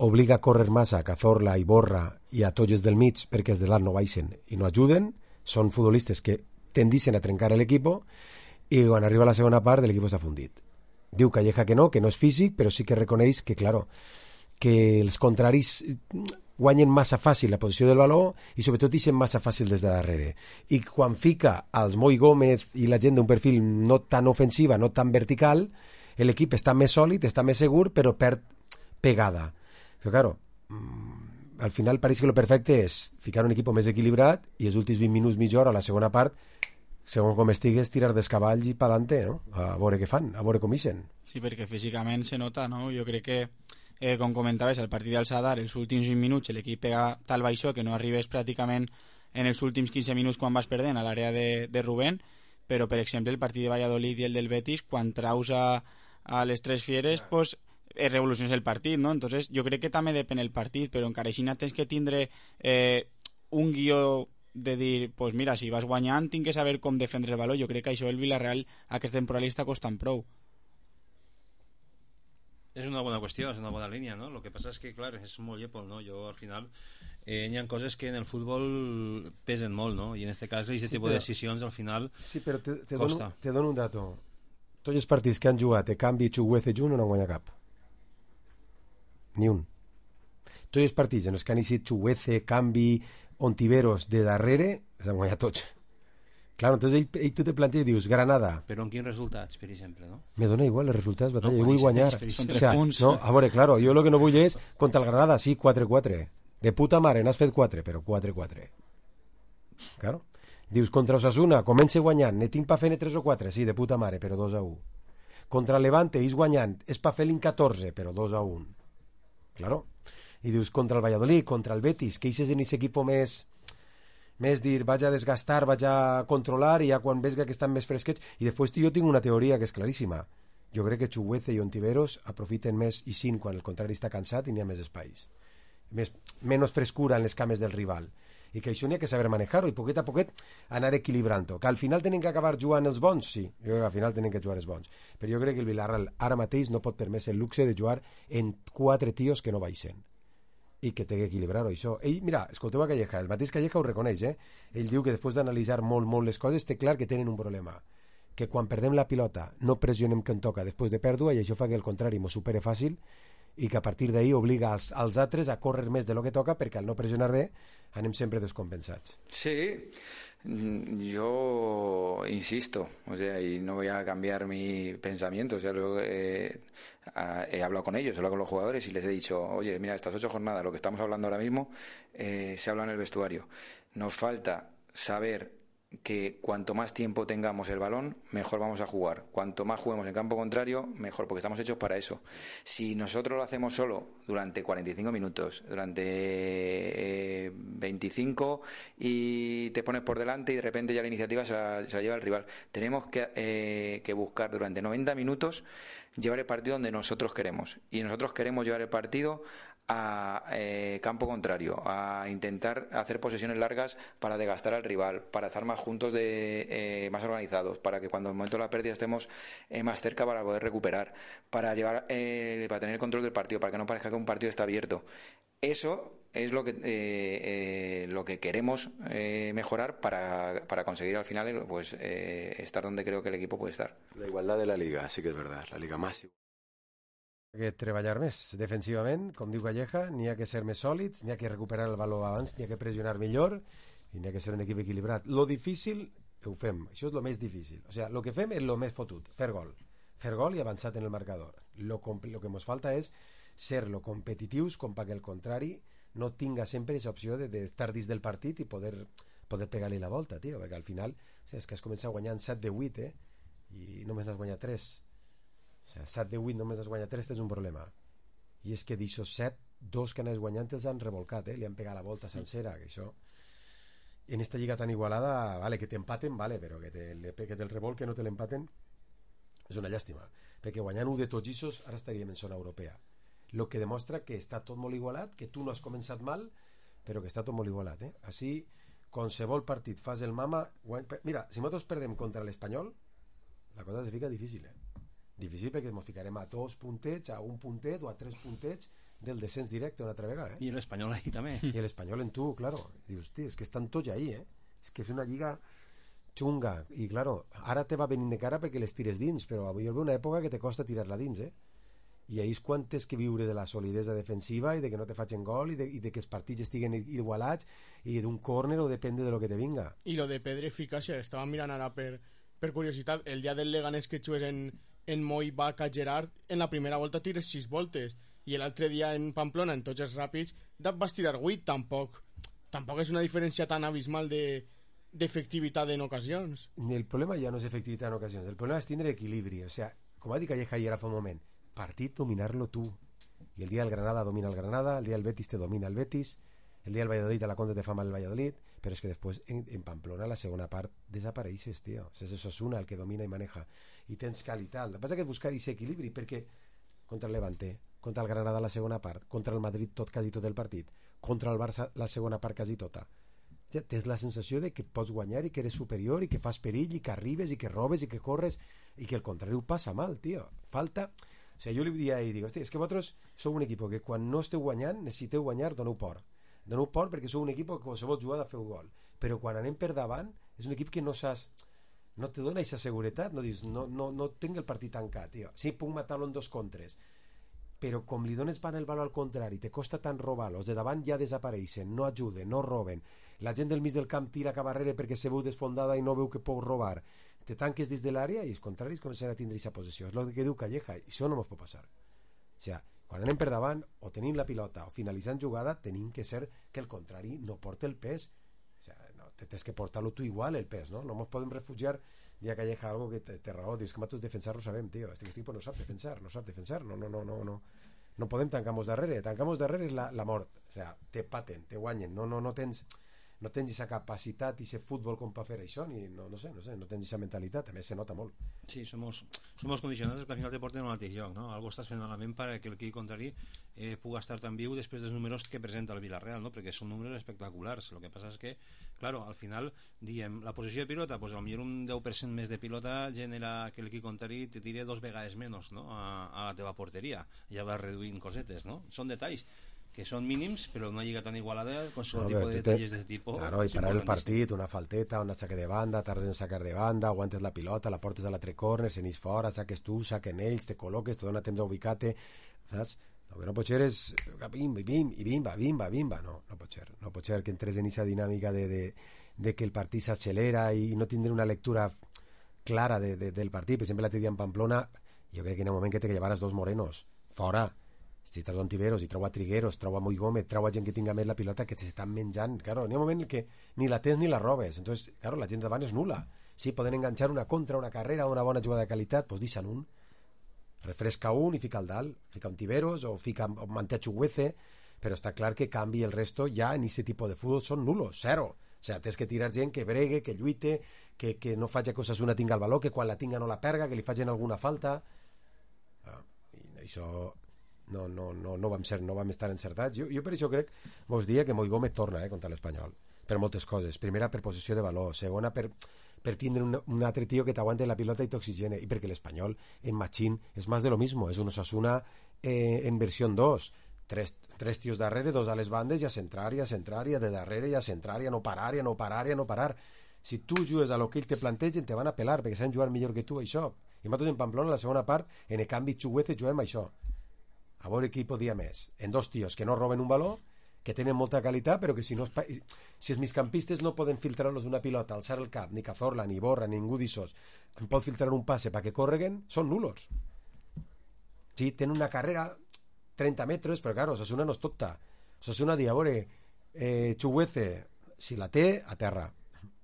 Obliga a córrer massa a Cazorla, a Iborra i a tots els del mig perquè els de l'alt no baixen i no ajuden. Són futbolistes que tendixen a trencar l'equip i quan arriba a la segona part l'equip està fundit. Diu Calleja que no, que no és físic, però sí que reconeix que, claro, que els contraris guanyen massa fàcil la posició del valor i sobretot ixen massa fàcil des de darrere. I quan fica als Moi Gómez i la gent d'un perfil no tan ofensiva, no tan vertical, l'equip està més sòlid, està més segur, però perd pegada. Però, claro, al final pareix que el perfecte és ficar un equip més equilibrat i els últims vint minuts, mitja hora, a la segona part, segons com estigues, tirar dels cavalls i pa'lante, no? A veure què fan, a veure com ixen. Sí, perquè físicament se nota, no? Jo crec que, eh, com comentaves, al partit del Sadar, els últims vint minuts l'equip pega tal baixó que no arribes pràcticament en els últims quinze minuts quan vas perdent a l'àrea de, de Rubén, però, per exemple, el partit de Valladolid i el del Betis, quan traus a, a les tres fieres, doncs, pues, es revoluciones el partit, no? Entonces, jo crec que també depèn el partit, però encara així tens que tindre eh, un guió de dir, pues mira, si vas guanyant tinc que saber com defendre el valor. Jo crec que això el Villarreal aquesta temporada li està costant prou. És una bona qüestió, és una bona línia, no? El que passa és que, clar, és molt llepol, no? Jo, al final, eh, hi ha coses que en el futbol pesen molt, no? I en aquest cas, aquest sí, tipus de decisions, al final, sí, però te, te costa. Dono, te dono un dato. Tots els partits que han jugat a Canvi, Chuguece i Jun no han guanyat cap. Ni un. Tots els partits en els que han eixit Chuguece, Canvi, Ontiveros de darrere, els han guanyat tots. Clar, entonces ell, ell tu te planteja i dius, Granada. Però en quins resultats, per exemple, no? Me dona igual els resultats, batalla, no, jo vull guanyar. Són tres punts. No, a veure, claro, jo el que no vull és contra el Granada, sí, quatre quatre. De puta mare, n'has fet quatre, però quatre quatre. Claro. Dius, contra Osasuna, comença guanyant, ne tinc pa fer tres o quatre, sí, de puta mare, però dos a un. Contra Levante, és guanyant, és pa fer-li catorze, però dos a un. Claro. I dius, contra el Valladolid, contra el Betis, que eixes en aquest equip més, més dir, vaig a desgastar, vaig a controlar, i ja quan ves que estan més fresquets, i després jo tinc una teoria que és claríssima. Jo crec que Chuguece i Ontiveros aprofiten més i sin quan el contrari està cansat i n'hi ha més espais. Més, menys frescura en les cames del rival. I que això n'hi ha que saber manejar-ho i poquet a poquet anar equilibrant-ho. Que al final tenen que acabar jugant els bons, sí, jo crec que al final tenen que jugar els bons, però jo crec que el Villarreal ara mateix no pot permetre el luxe de jugar en quatre tios que no baixen i que té que equilibrar-ho, això. Ell, mira, escolteu a Calleja, el mateix Calleja ho reconeix, eh? Ell diu que després d'analitzar molt, molt les coses té clar que tenen un problema, que quan perdem la pilota no pressionem que en toca després de pèrdua i això fa que el contrari m'ho supere fàcil i que a partir d'ahir obliga als, als altres a córrer més de lo que toca perquè al no pressionar bé anem sempre descompensats. Sí, yo insisto, o sea, y no voy a cambiar mi pensamiento, o sea, luego, eh, he hablado con ellos, he hablado con los jugadores y les he dicho, oye, mira, estas ocho jornadas, lo que estamos hablando ahora mismo, eh, se habla en el vestuario. Nos falta saber que cuanto más tiempo tengamos el balón, mejor vamos a jugar. Cuanto más juguemos en campo contrario, mejor, porque estamos hechos para eso. Si nosotros lo hacemos solo durante cuarenta y cinco minutos, durante eh, veinticinco, y te pones por delante y de repente ya la iniciativa se la, se la lleva el rival, tenemos que, eh, que buscar durante noventa minutos llevar el partido donde nosotros queremos. Y nosotros queremos llevar el partido a eh, campo contrario, a intentar hacer posesiones largas para desgastar al rival, para estar más juntos, de eh, más organizados, para que cuando en el momento de la pérdida estemos eh, más cerca para poder recuperar, para llevar eh, para tener el control del partido, para que no parezca que un partido está abierto. Eso es lo que eh, eh, lo que queremos eh, mejorar para, para conseguir al final pues eh, estar donde creo que el equipo puede estar. La igualdad de la Liga, sí que es verdad, la Liga más que treballar més defensivament, com diu Calleja, n'hi ha que ser més sòlids, n'hi ha que recuperar el valor abans, n'hi ha que pressionar millor i n'hi ha que ser un equip equilibrat. Lo difícil ho fem, això és lo més difícil, o sea, lo que fem és lo més fotut, fer gol fer gol i avançat en el marcador. Lo, lo que ens falta és ser lo competitius com perquè el contrari no tinga sempre aquesta opció de, de estar dins del partit i poder, poder pegar-li la volta, tio, perquè al final o sea, és que has començat guanyant set de vuit eh? I només n'has guanyat tres. O sigui, set de vuit només has guanyat tres, és un problema. I és que d'aixòs set, dos que anés guanyant els han revolcat, eh? Li han pegat la volta sencera, que això en esta lliga tan igualada, vale, que t'empaten, vale, però que, te, que te'l revolt, que no te l'empaten, és una llàstima, perquè guanyant un de tots aquests ara estaríem en zona europea, el que demostra que està tot molt igualat, que tu no has començat mal, però que està tot molt igualat, eh? Així, qualsevol partit fas el mama, guany... mira, si nosaltres perdem contra l'Espanyol, la cosa se fica difícil, eh? Difícil perquè ens ficarem a dos puntets, a un puntet o a tres puntets del descens directe una altra vegada, eh? I l'Espanyol ahí també. I l'Espanyol en tu, claro. Dius, hosti, és que estan tots ahí, eh? És que és una lliga xunga. I, claro, ara te va venint de cara perquè les tires dins, però avui hi ha una època que te costa tirar-la dins, eh? I ahí és quan tens que viure de la solidesa defensiva i de que no te facin gol i de, i de que els partits estiguen igualats i d'un córner o depende de lo que te vinga. I lo de Pedro Eficàcia, estava mirant ara per, per curiositat, el dia del Leganés que jugues en en Moi, Baca, Gerard, en la primera volta tires sis voltes i l'altre dia en Pamplona, en tots els ràpids vas tirar vuit, tampoc tampoc és una diferència tan abismal de, d'efectivitat en ocasions. El problema ja no és efectivitat en ocasions, el problema és tindre equilibri, o sea, com va dir Calleja ahir ara fa un moment, partit dominar-lo tu, i el dia del Granada domina el Granada, el dia del Betis te domina el Betis, el dia del Valladolid a la contra te fa mal el Valladolid, però és que després en, en Pamplona la segona part desapareixes, tio. O sigui, és Osasuna el que domina i maneja i tens qualitat. El que passa que és buscar aquest equilibri, perquè contra el Levante, contra el Granada la segona part, contra el Madrid tot quasi tot el partit, contra el Barça la segona part quasi tota, ja tens la sensació de que pots guanyar i que eres superior i que fas perill i que arribes i que robes i que corres i que el contrari ho passa mal, tio. Falta... O sigui, jo li dia i dic, hosti, és que vosaltres sou un equip que quan no esteu guanyant necessiteu guanyar, doneu por. Doneu por perquè sou un equip que qualsevol jugada feu gol, però quan anem per davant és un equip que no saps, no te dona aquesta seguretat, no dius, no, no, no tinc el partit tancat, tio. Sí, puc matar-lo en dos contres, però com li dones van el valor al contrari, te costa tant robar-lo, els de davant ja desapareixen, no ajuden, no roben, la gent del mig del camp tira cap arrere perquè se veu desfondada i no veu que pot robar, te tanques dins de l'àrea i els contraris comencen a tindre aquesta possessió. És el que diu Calleja, i això no ens pot passar. O sigui, quan anem per davant o tenim la pilota o finalitzant jugada tenim que ser que el contrari no porta el pes, o sea, no, tens que portar-lo tu igual el pes, no? No ens podem refugiar dia Calleja algo que té raó, dius que nosaltres defensar lo sabem, tio, este equip no sap defensar, no sap defensar, no, no, no, no, no, no podem tancar-nos darrere, tancar-nos darrere és la, la mort, o sea, te paten, te guanyen, no, no, no tens no tens aquesta capacitat i aquest futbol com per fer això, ni, no, no sé, no sé, no tens aquesta mentalitat, a més se nota molt. Sí, somos, somos condicionats que al final te porten al mateix lloc, no? Algo estàs fent malament perquè el equip contrari eh, puga estar tan viu després dels números que presenta el Villarreal, no? Perquè són números espectaculars. El que passa és que, claro, al final, diem, la posició de pilota, pues, potser un deu per cent més de pilota genera que l'equip contrari te tire dos vegades menys, no? a, a la teva porteria. Ja vas reduint cosetes, no? Són detalls que son mínimos, pero no llega tan igualada con su no, tipo de detalles de este tipo. Claro, y parar el partido, una falteta, un saque de banda, tardes en sacar de banda, aguantes la pilota, la portes a l'altre corner, se n'és fora, saques tu, saquen ells, te col·loques, te dona temps d'ubicar-te, saps? El que no pot ser és bimba, bimba, i bimba, bimba, bimba, no, no pot ser. No pot ser que entres en aquesta dinàmica de, de, de que el partit s'accelera i no tindre una lectura clara de, de, del partit. Per exemple, l'altre dia en Pamplona, jo crec que en el moment que te llevares dos morenos, fora, si treus Ontiveros i treu a Trigueros, treu a Moi Gómez, treu a gent que tinga més la pilota, que s'estan menjant, claro, n'hi ha un moment que ni la tens ni la robes, entonces, claro, la gent davant és nula. Sí, poden enganxar una contra, una carrera, una bona jugada de qualitat, doncs deixen un, refresca un i fica el dalt, fica Ontiveros o fica o manté a Chuguece, però està clar que canvi el resto ja en aquest tipus de futbol són nulos, zero. O sigui, tens que tirar gent que bregue, que lluite, que, que no faci que Osasuna tinga el valor, que quan la tinga no la perga, que li facin alguna falta. Ah, i això no, no, no, no, vam ser, no vam estar encertats. Jo, jo per això crec, vos dia que Moi Gómez torna eh, contra l'Espanyol, per moltes coses. Primera, per possessió de valor. Segona, per, per tindre un, un altre tio que t'aguante la pilota i t'oxigene. I perquè l'Espanyol, en Machín, és més de lo mismo. És un Osasuna eh, en versió dos. Tres, tres tios darrere, dos a les bandes, i a centrar, i a centrar, i a de darrere, i a centrar, i a no parar, i a no parar, i a no parar. Si tu jugues a lo que ell te plantegen, te van a pelar, perquè saben jugar millor que tu, això. I nosaltres en Pamplona, la segona part, en el canvi Chuguece, juguem això. A veure qui podia més. En dos tios que no roben un valor, que tenen molta qualitat, però que si no si els migcampistes no poden filtrar-los una pilota, alçar el cap, ni Cazorla, ni Borra, ni ningú d'ixos, en pot filtrar un passe perquè correguen, són nulos. Sí, tenen una carrera trenta metres, però claro, Osasuna no és tota. Osasuna dia, a veure, eh, Chuguece, si la té, a terra.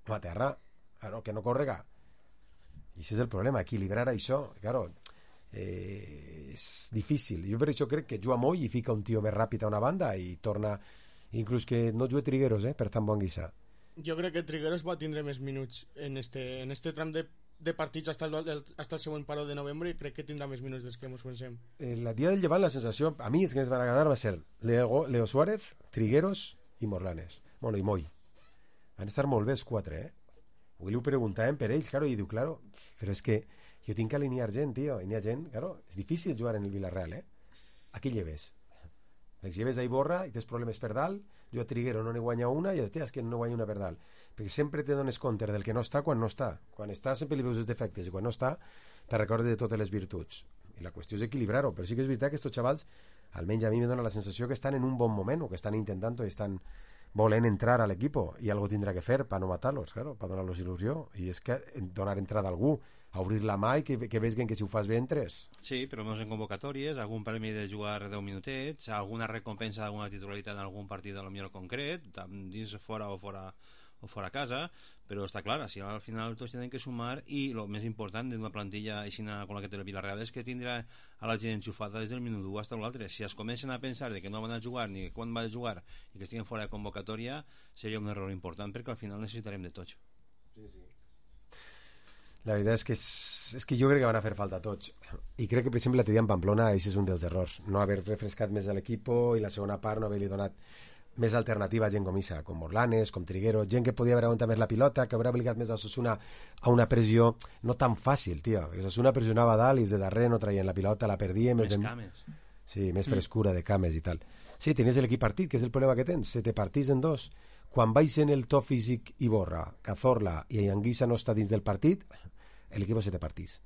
No a terra, claro, que no correga. I això és el problema, equilibrar això, claro, eh, és difícil. Jo per això crec que juga Moi i fica un tio més ràpid a una banda i torna, inclús que no juga Trigueros, eh, per tan bon guisa. Jo crec que Trigueros va tindre més minuts en este, en este tram de, de partits hasta el, el, hasta el següent paro de novembre, i crec que tindrà més minuts dels que ens pensem. El dia del Llevant la sensació, a mi els que ens van agradar va ser Leo, Leo Suárez, Trigueros i Morlanes, bueno, i Moi. Van estar molt bé els quatre, eh? Avui li ho preguntàvem per ells, claro, i diu, claro, però és que jo tinc que alinear gent, tio, i n'hi ha gent, claro, és difícil jugar en el Villarreal, eh? A qui lleves? Perquè si lleves a Iborra i tens problemes per dalt, jo a Triguero no n'he guanyat una i hòstia, és que no guanya una per dalt, perquè sempre te dones compte del que no està quan no està. Quan està sempre li veus els defectes i quan no està te recordes de totes les virtuts. I la qüestió és equilibrar-ho, però sí que és veritat que aquests xavals, almenys a mi me dona la sensació que estan en un bon moment o que estan intentant o estan volen entrar a l'equipo i algo tindrà que fer per no matar-los, claro, per donar-los il·lusió, i és que donar entrada a algú, a obrir la mà i que, que vegin que si ho fas bé entres. Sí, però menys en convocatòries, algun premi de jugar deu minutets, alguna recompensa d'alguna titularitat en algun partit a lo millor concret, dins fora o fora o fora casa, però està clar, si al final tots tenen que sumar, i el més important d'una plantilla així com la que té el Villarreal és que tindrà a la gent enxufada des del minut u fins a l'altre. Si es comencen a pensar de que no van a jugar ni quan van a jugar i que estiguen fora de convocatòria, seria un error important, perquè al final necessitarem de tots. Sí, sí. La veritat és que, és, és que jo crec que van a fer falta tots, i crec que per exemple l'altre dia en Pamplona això és un dels errors, no haver refrescat més a l'equip i la segona part no haver-li donat més alternativa a gent com Isa, com Morlanes, com Triguero, gent que podia haver aguantat més la pilota, que haurà obligat més a Osasuna a una pressió no tan fàcil, tio. Osasuna pressionava dalt i de darrere no traien la pilota, la perdien. Més de... cames. Sí, més frescura de cames i tal. Sí, tenies l'equip partit, que és el problema que tens. Se te partís en dos. Quan baixen el to físic Iborra, Cazorla i Anguissa no està dins del partit, l'equip se te partís.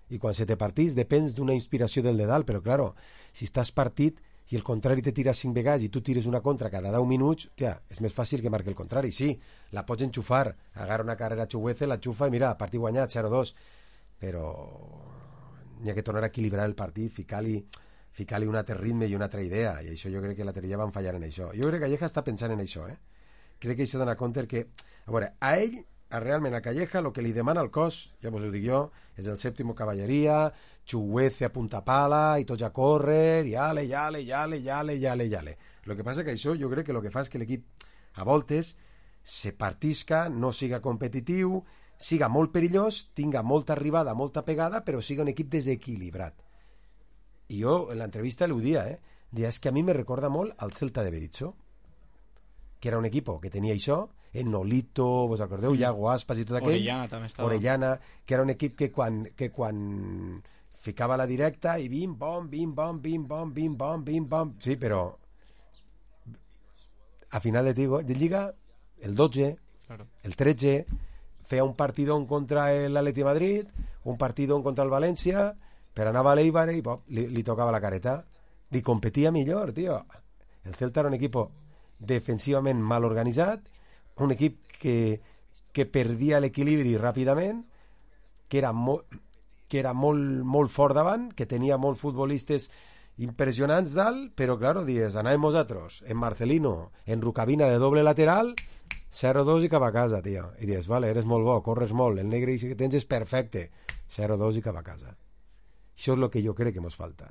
I quan se te partís depens d'una inspiració del de dalt, però claro, si estàs partit i el contrari te tira cinc vegades i tu tires una contra cada deu minuts, tia, és més fàcil que marqui el contrari. Sí, la pots enxufar, agarra una carrera a Chuguece, la xufa i mira, partit guanyat, zero dos, però n'hi ha que tornar a equilibrar el partit, ficar-li ficar-li un altre ritme i una altra idea, i això jo crec que la Terilla van fallar en això. Jo crec que Calleja està pensant en això, eh? Crec que ell s'ha donat compte que, a veure, a ell a realment a Calleja el que li demana el cos, ja vos ho dic jo, és el sèptimo cavalleria, Chuguece a punta pala i tots a córrer, i ale, i ale, i ale, i ale, i ale, i ale. El que passa que això jo crec que el que fa és que l'equip a voltes se partisca, no siga competitiu, siga molt perillós, tinga molta arribada, molta pegada, però siga un equip desequilibrat. I jo en l'entrevista l'ho dia, eh? Dia, és que a mi me recorda molt al Celta de Berizzo, que era un equip que tenia això, en Nolito, vos acordeu, mm. Iago Aspas i tot aquell. Orellana també estava. Orellana, que era un equip que quan, que quan ficava la directa i bim, bom, bim, bom, bim, bom, bim, bom, bim, bom. Sí, però a final de, de Lliga, el dotze, claro. El tretze, feia un partidón contra l'Atleti de Madrid, un partidón contra el València, però anava a l'Eibar i pop, li, li tocava la careta. Li competia millor, tio. El Celta era un equip defensivament mal organitzat, un equip que, que perdia l'equilibri ràpidament, que era, mo, que era molt, molt fort davant, que tenia molts futbolistes impressionants dalt, però, claro, dies, anàvem nosaltres, en Marcelino, en Rucabina de doble lateral, zero dos i cap a casa, tio. I dius, vale, eres molt bo, corres molt, el negre que tens és perfecte, zero dos i cap a casa. Això és el que jo crec que ens falta.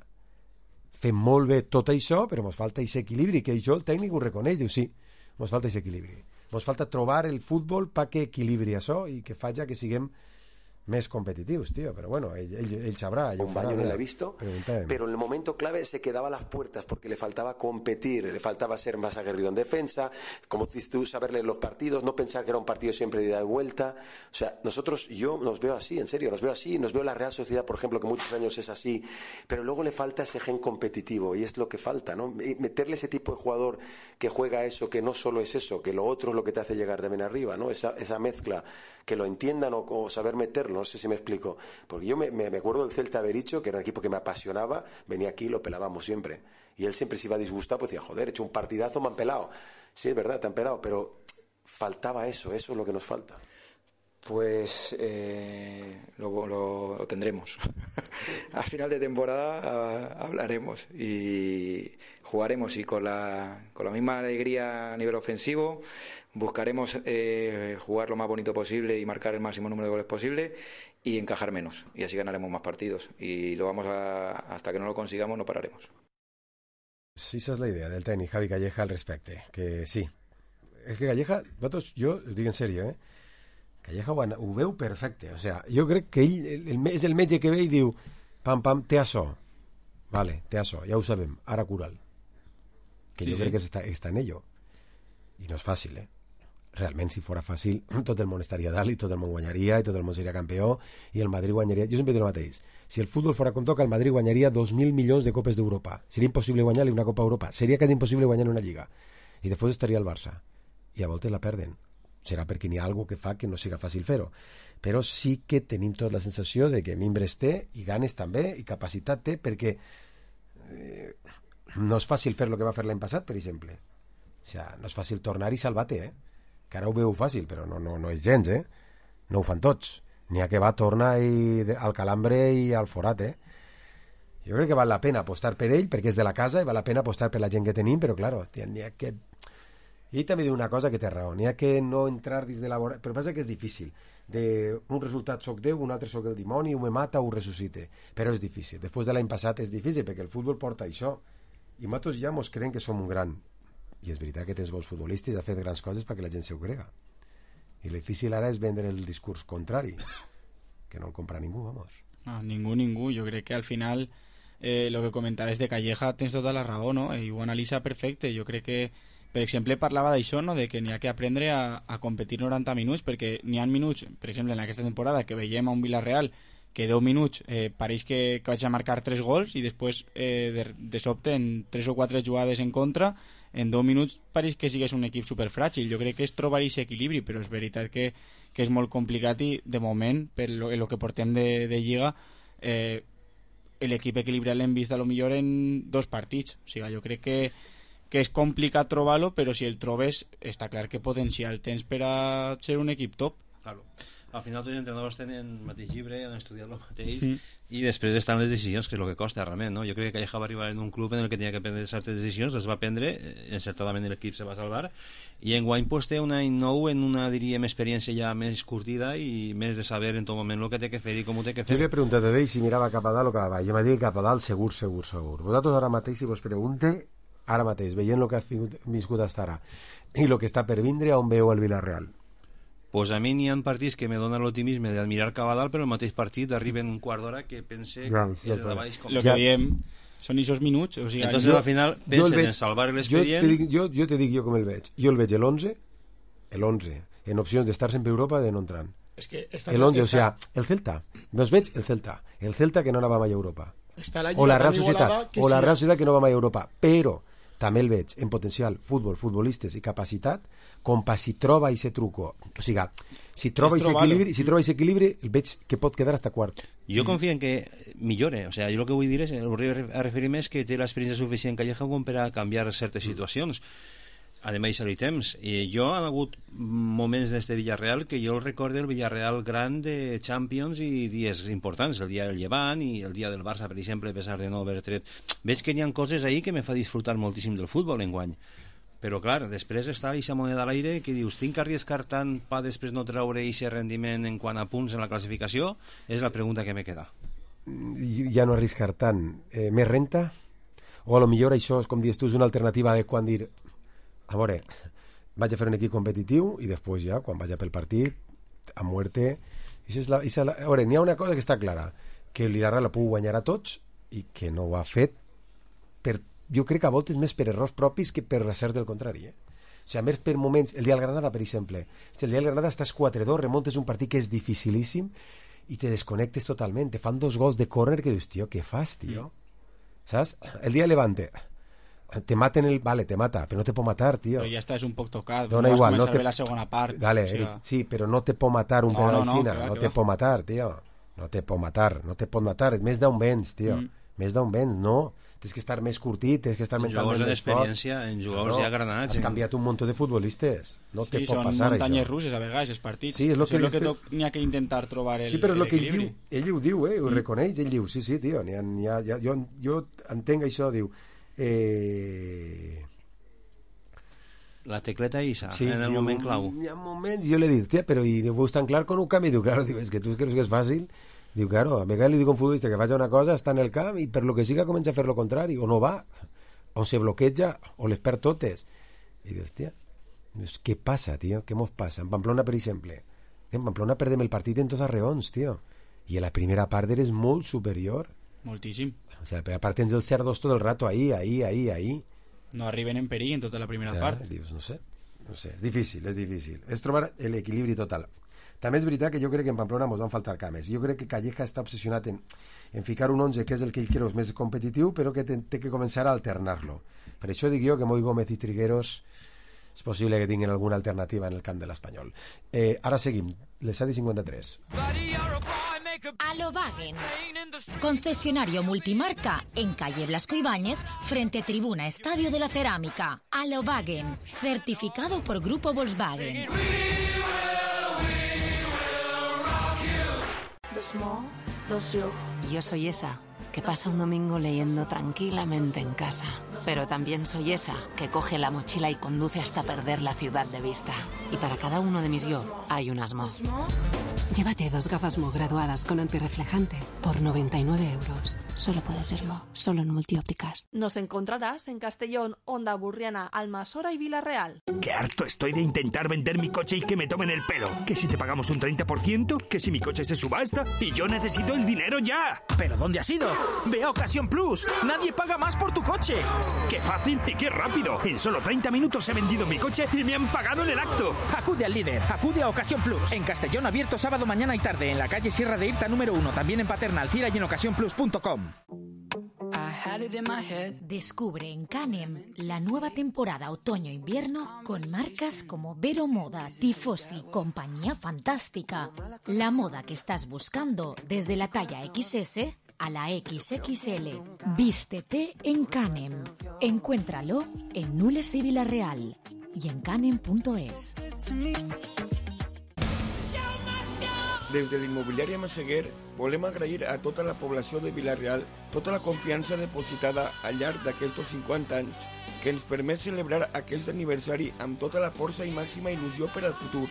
Fem molt bé tot això, però ens falta aquest equilibri, que això el tècnic ho reconeix, diu, sí, ens falta aquest equilibri. Ens falta trobar el futbol perquè equilibri això i que faci que siguem més competitivos, tío, pero bueno, él, él, él sabrá. Un baño no lo he visto, pero en el momento clave se quedaba a las puertas porque le faltaba competir, le faltaba ser más aguerrido en defensa, como dices tú, saberle los partidos, no pensar que era un partido siempre de ida y vuelta. O sea, nosotros, yo nos veo así, en serio, nos veo así, nos veo la Real Sociedad, por ejemplo, que muchos años es así, pero luego le falta ese gen competitivo y es lo que falta, ¿no? Meterle ese tipo de jugador que juega eso, que no solo es eso, que lo otro es lo que te hace llegar también arriba, ¿no? Esa, esa mezcla, que lo entiendan o, o saber meterlo. No sé si me explico, porque yo me, me, me acuerdo del Celta Bericho, que era un equipo que me apasionaba, venía aquí y lo pelábamos siempre, y él siempre se iba disgustado, pues decía, joder, he hecho un partidazo, me han pelado. Sí, es verdad, te han pelado, pero faltaba eso, eso es lo que nos falta. Pues eh, lo, lo, lo tendremos. A final de temporada uh, hablaremos y jugaremos, y con la, con la misma alegría a nivel ofensivo buscaremos eh, jugar lo más bonito posible y marcar el máximo número de goles posible y encajar menos, y así ganaremos más partidos, y lo vamos a, hasta que no lo consigamos no pararemos. Sí, esa és la idea del tècnic Javi Calleja al respecte, que sí, és que Calleja, vosaltres, jo ho dic en sèrio, eh? Calleja ho, ho veu perfecte, o sea, jo crec que ell el, el, és el metge que ve i diu pam pam, té açò, vale, té açò, ja ho sabem, ara cura'l, que sí, jo sí. crec que està, està en ello, i no és fàcil, eh? Realment, si fora fàcil, tot el món estaria dalt i tot el món guanyaria i tot el món seria campió i el Madrid guanyaria. Jo sempre dic el mateix. Si el futbol fora com toca, el Madrid guanyaria dos mil milions de copes d'Europa. Seria impossible guanyar-li una Copa Europa. Seria quasi impossible guanyar una Lliga. I després estaria el Barça. I a voltes la perden. Serà perquè n'hi ha alguna que fa que no siga fàcil fer-ho. Però sí que tenim tota la sensació de que mimbres té i ganes també i capacitat té, perquè eh, no és fàcil fer el que va fer l'any passat, per exemple. O sigui, no és fàcil tornar i salvar-te, eh? Que ara ho veu fàcil, però no, no, no és gens, eh? No ho fan tots. N'hi ha que va, torna i, al calambre i al forat, eh? Jo crec que val la pena apostar per ell, perquè és de la casa, i val la pena apostar per la gent que tenim, però, claro, n'hi ha que... I ell també diu una cosa que té raó, n'hi ha que no entrar dins de la... Però passa que és difícil. De un resultat soc Déu, un altre soc el dimoni, un me mata, un ressuscite. Però és difícil. Després de l'any passat és difícil, perquè el futbol porta això. I nosaltres ja mos creiem que som un gran... I és veritat que tens bons futbolistes i ha fet grans coses perquè la gent s'ho crega. I el difícil ara és vendre el discurs contrari, que no el compra ningú, vamos. No, ningú, ningú. Jo crec que al final eh, lo que comentaves de Calleja tens tota la raó, no? I ho analitza perfecte. Jo crec que, per exemple, parlava d'això, no? De que n'hi ha que aprendre a, a competir noranta minuts, perquè n'hi ha minuts, per exemple, en aquesta temporada que veiem a un Villarreal que deu minuts eh, pareix que, que vaig a marcar tres gols i després eh, de, de sobte en tres o quatre jugades en contra en deu minuts pareix que sigués un equip superfràgil. Jo crec que és trobar aquest equilibri, però és veritat que, que és molt complicat i de moment, per lo, lo que portem de, de Lliga, eh, l'equip equilibrat l'hem vist a lo millor en dos partits. O sigui, jo crec que, que és complicat trobar-lo, però si el trobes està clar que potencial tens per a ser un equip top. Claro. Al final tots els entrenadors tenen el mateix llibre, han estudiat el mateix, mm. i després estan les decisions, que és el que costa realment, no? Jo crec que Calleja va arribar en un club en el que tenia que prendre certes decisions, les va prendre, encertadament l'equip se va salvar, i enguany pues, té un any nou en una, diríem, experiència ja més curtida i més de saber en tot moment el que té que fer i com ho té que fer. Jo li he preguntat a ell si mirava cap a dalt o cap a baix. Jo m'ha dit cap a dalt segur, segur, segur. Vosaltres ara mateix, si vos pregunte, ara mateix, veient el que ha viscut fins ara i el que està per vindre, on veu el Villarreal? Pues a mi n'hi ha partits que me donen l'optimisme d'admirar cap a dalt, però el mateix partit arriba en un quart d'hora que pense ja, que és de baix. El que diem són aquests minuts. O sigui, entonces jo, al final penses veig, en salvar l'expedient. Jo, jo, jo te dic jo com el veig. Jo el veig l'onze, l'onze, en opcions d'estar sempre a Europa de no entrar. Es que l'onze, o sigui, el Celta. Meus veig el Celta. El Celta que no anava mai a Europa. La o la Real Societat, o la Real Societat que no va mai a Europa. Però també el veig en potencial futbol, futbolistes i capacitat, com per si troba aquest truco. O sigui, si troba aquest equilibri, si troba aquest equilibri, el veig que pot quedar hasta quart. Jo confio en que millore. O sea, jo el que vull dir és, a referir-me és que té l'experiència suficient Calleja com per a canviar certes situacions. ha de deixar-hi temps. I jo han hagut moments d'este Villarreal que jo el recordo el Villarreal gran de Champions i dies importants, el dia del Llevant i el dia del Barça, per exemple, a pesar de no haver tret. Veig que hi ha coses ahí que me fa disfrutar moltíssim del futbol enguany. Però, clar, després està aquesta moneda a l'aire que dius, tinc que arriscar tant per després no treure aquest rendiment en quant a punts en la classificació? És la pregunta que me queda. Ja no arriscar tant. Eh, més renta? O a lo millor això, és com dius tu, és una alternativa de quan dir a veure, vaig a fer un equip competitiu i després ja, quan vaig a pel partit, a muerte. I és la, és la, a veure, n'hi ha una cosa que està clara, que el Villarreal la puc guanyar a tots i que no ho ha fet per, jo crec que a voltes més per errors propis que per recerts del contrari, eh? O sigui, més per moments, el dia del Granada, per exemple, si el dia del Granada estàs quatre dos, remontes un partit que és dificilíssim i te desconnectes totalment, te fan dos gols de córner que dius, tio, què fas, tio? Saps? El dia Levante, te maten el... Vale, te mata, però no te pot matar, tio. Però ja estàs un poc tocat, Dona no igual, vas no te... la segona part. Dale, o sigui... Eric, sí, però no te pot matar un no, penal no, no, aixina, va, no te va. pot matar, tio. No te pot matar, no te pot matar, més d'on vens, tio. Mm. Més d'on vens, no. Tens que estar més curtit, tens que estar en mentalment més fort. En jugadors ja granats. Has canviat un munt de futbolistes. No sí, te pot passar això. Sí, són muntanyes russes a vegades, els partits. Sí, és el que, és que n'hi ha que intentar trobar el, sí, però el el que equilibri. Ell diu, ell ho diu, eh? Ho mm. reconeix, ell diu, sí, sí, tio, n'hi ha, n'hi ha, ja, jo, jo entenc això, diu... Eh... La tecleta Isa, sí, en el diu, moment clau. Hi ha moments, jo le dic, tia, però i ho veus tan clar com un canvi? Diu, claro, diu, és que tu creus que és fàcil? Diu, claro, a vegades li dic a un futbolista que faci una cosa, està en el camp i per lo que siga comença a fer lo contrari, o no va, o se bloqueja, o les perd totes. I dius, tia, dius, què passa, tio? Què mos passa? En Pamplona, per exemple. En Pamplona perdem el partit en tots els reons, tio. I a la primera part eres molt superior. Moltíssim. O sigui, a la primera part tens el cerdos tot el rato ahí, ahí, ahí, ahí. No arriben en perill en tota la primera ja, part. Dius, no sé, no sé, és difícil, és difícil. És trobar l'equilibri total. També és veritat que jo crec que en Pamplona ens van faltar cames. Jo crec que Calleja està obsessionat en, en ficar un onze que és el que ell creu més competitiu, però que té, té que començar a alternar-lo. Per això dic jo que Moi Gómez i Trigueros és possible que tinguin alguna alternativa en el camp de l'Espanyol. Eh, ara seguim, les set i cinquanta-tres. Alobagen, concesionario multimarca en calle Blasco Ibáñez, frente Tribuna Estadio de la Cerámica. Alobagen, certificado por Grupo Volkswagen. Yo soy esa que pasa un domingo leyendo tranquilamente en casa. Pero también soy esa que coge la mochila y conduce hasta perder la ciudad de vista. Y para cada uno de mis yo hay un Asmo. Llévate dos gafas Mo graduadas con antirreflejante por noventa y nueve euros. Solo puede ser Mo, solo en Multiópticas. Nos encontrarás en Castellón, Onda Burriana, Almasora y Villarreal. Qué harto estoy de intentar vender mi coche y que me tomen el pelo. Que si te pagamos un treinta por ciento, que si mi coche se subasta y yo necesito el dinero ya. ¿Pero dónde has ido? Ve a Ocasión Plus. Nadie paga más por tu coche. ¡Qué fácil y qué rápido! En solo treinta minutos he vendido mi coche y me han pagado en el acto. Acude al líder, acude a Ocasión Plus. En Castellón, abierto sábado, mañana y tarde. En la calle Sierra de Irta número uno. También en Paterna, Alcira y en ocasión plus punto com. Descubre en Canem la nueva temporada otoño-invierno con marcas como Vero Moda, Tifosi, Compañía Fantástica. La moda que estás buscando desde la talla equis ese a la equis equis ele. Vístete en Canem. Encuéntralo en Nules y Villarreal y en canem punto es. Des de l'immobiliària Massaguer volem agrair a tota la població de Vila-real tota la confiança depositada al llarg d'aquests cinquanta anys que ens permet celebrar aquest aniversari amb tota la força i màxima il·lusió per al futur.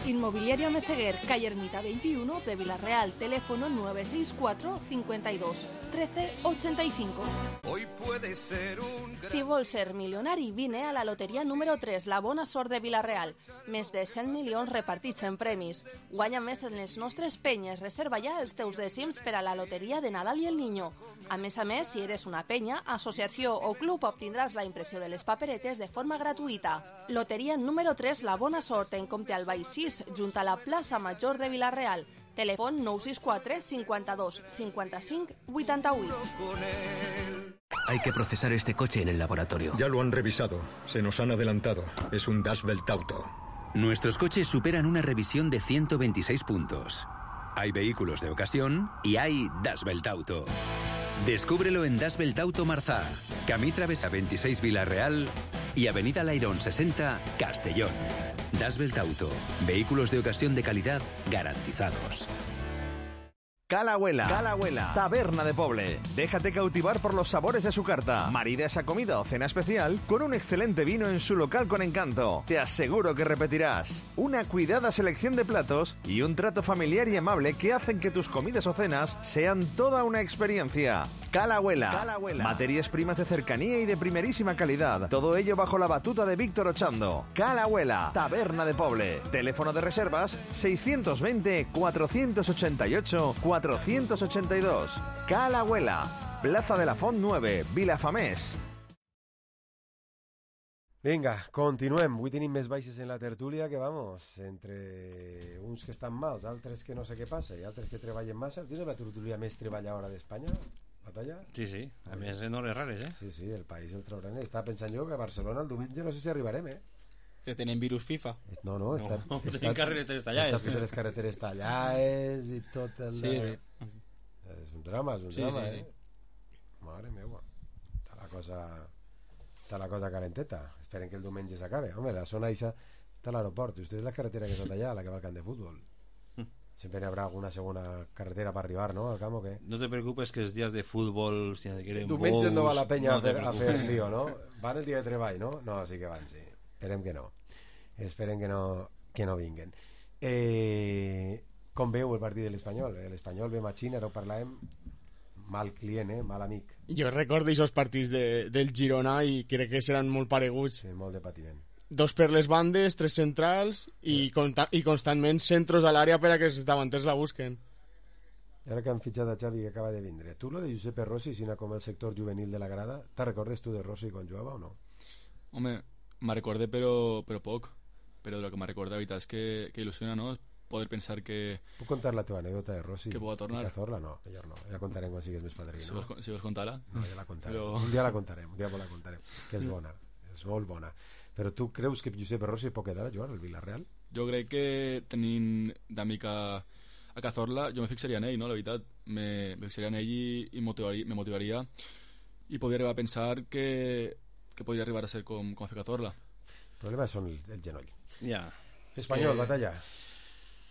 Inmobiliaria Meseguer, calle Ermita veintiuno de Villarreal, teléfono nueve seis cuatro, cincuenta y dos, trece ochenta y cinco. Hoy puede ser un... Si vols ser milionari, vine a la loteria número tres, la bona sort de Villarreal. Més de cent milions repartits en premis. Guanya més en les nostres penyes. Reserva ja els teus dècims per a la loteria de Nadal i el Niño. A més a més, si eres una penya, associació o club, obtindràs la impressió de les paperetes de forma gratuïta. Loteria número tres, la bona sort, en compte al Baix sis, junt a la plaça Major de Villarreal. Telèfon nou sis quatre, cincuenta-dos, cincuenta-cinc, vuitanta-vuit. Hay que procesar este coche en el laboratorio. Ya lo han revisado. Se nos han adelantado. Es un Das Welt Auto. Nuestros coches superan una revisión de ciento veintiséis puntos. Hay vehículos de ocasión y hay Das Welt Auto. Descúbrelo en Das Welt Auto Marzá, Camí Travesa veintiséis Villarreal y Avenida Lairón sesenta, Castellón. Das Belt Auto. Vehículos de ocasión de calidad garantizados. Calahuela, Calahuela, taberna de Poble. Déjate cautivar por los sabores de su carta. Marida esa comida o cena especial con un excelente vino en su local con encanto. Te aseguro que repetirás. Una cuidada selección de platos y un trato familiar y amable que hacen que tus comidas o cenas sean toda una experiencia. Calahuela, Calahuela. Materias primas de cercanía y de primerísima calidad. Todo ello bajo la batuta de Víctor Ochando. Calahuela, taberna de Poble. Teléfono de reservas seiscientos veinte, cuatrocientos ochenta y ocho, cuatrocientos ochenta y dos. Calahuela, Plaza de la Font nueve, Vilafamés. Vinga, continuem. Avui tenim més baixes en la tertúlia que, vamos, entre uns que estan mals, altres que no sé què passa i altres que treballen massa. Tens la tertúlia més treballadora d'Espanya? Batalla? Sí, sí. A més, en hores rares, eh? Sí, sí, el país el trauran. Estava pensant jo que a Barcelona el diumenge no sé si arribarem, eh? Que tenen virus FIFA. No, no, està, no, està, tenim carreteres tallades. Està totes les carreteres tallades i tot el... Sí. És un drama, és un sí, drama, sí, eh? sí. Mare meva. Està la cosa... Està la cosa calenteta. Esperen que el diumenge s'acabe. Home, la zona eixa està a l'aeroport. Usted és la carretera que està allà, la que va al camp de fútbol. Siempre habrá alguna segunda carretera para arribar, ¿no? Al campo, ¿qué? No te preocupes que es días de fútbol, si quieren diumenge no va la penya no a, fer, a fer lío, no? Van el dia de treball, no? No, sí que van, sí. Esperem que no. Esperem que no, que no vinguen. Eh, com veu el partit de l'Espanyol? L'Espanyol ve matxina, ara ho parlàvem, mal client, eh? Mal amic. Jo recordo aquests partits de, del Girona i crec que seran molt pareguts. Sí, molt de patiment. Dos per les bandes, tres centrals i, consta i constantment centros a l'àrea per a que els davanters la busquen. I ara que han fitxat a Xavi que acaba de vindre, tu lo de Giuseppe Rossi, sina com el sector juvenil de la grada, te recordes tu de Rossi quan jugava o no? Home, me recordé però, però poc, però de lo que me recorda la veritat és que, que il·lusiona, no? Poder pensar que... Puc contar la teva anècdota de Rossi? Que puga tornar? I Cazorla? No, millor no. Ja la contarem quan sigues més padrí, si no? Vols, si vols contar-la? No, ja la contarem. Però... Un dia la contarem, un dia la contarem, que és bona, és molt bona. Però tu creus que Giuseppe Rossi pot quedar a jugar al Villarreal? Jo crec que tenint d'amic a, a Cazorla, jo me fixaria en ell, no? La veritat, me, me fixaria en ell i, i motivaria, me motivaria i podria arribar a pensar que, que podria arribar a ser com, com a fer Cazorla. El problema són el, el genoll. Ja. Espanyol, que... batalla.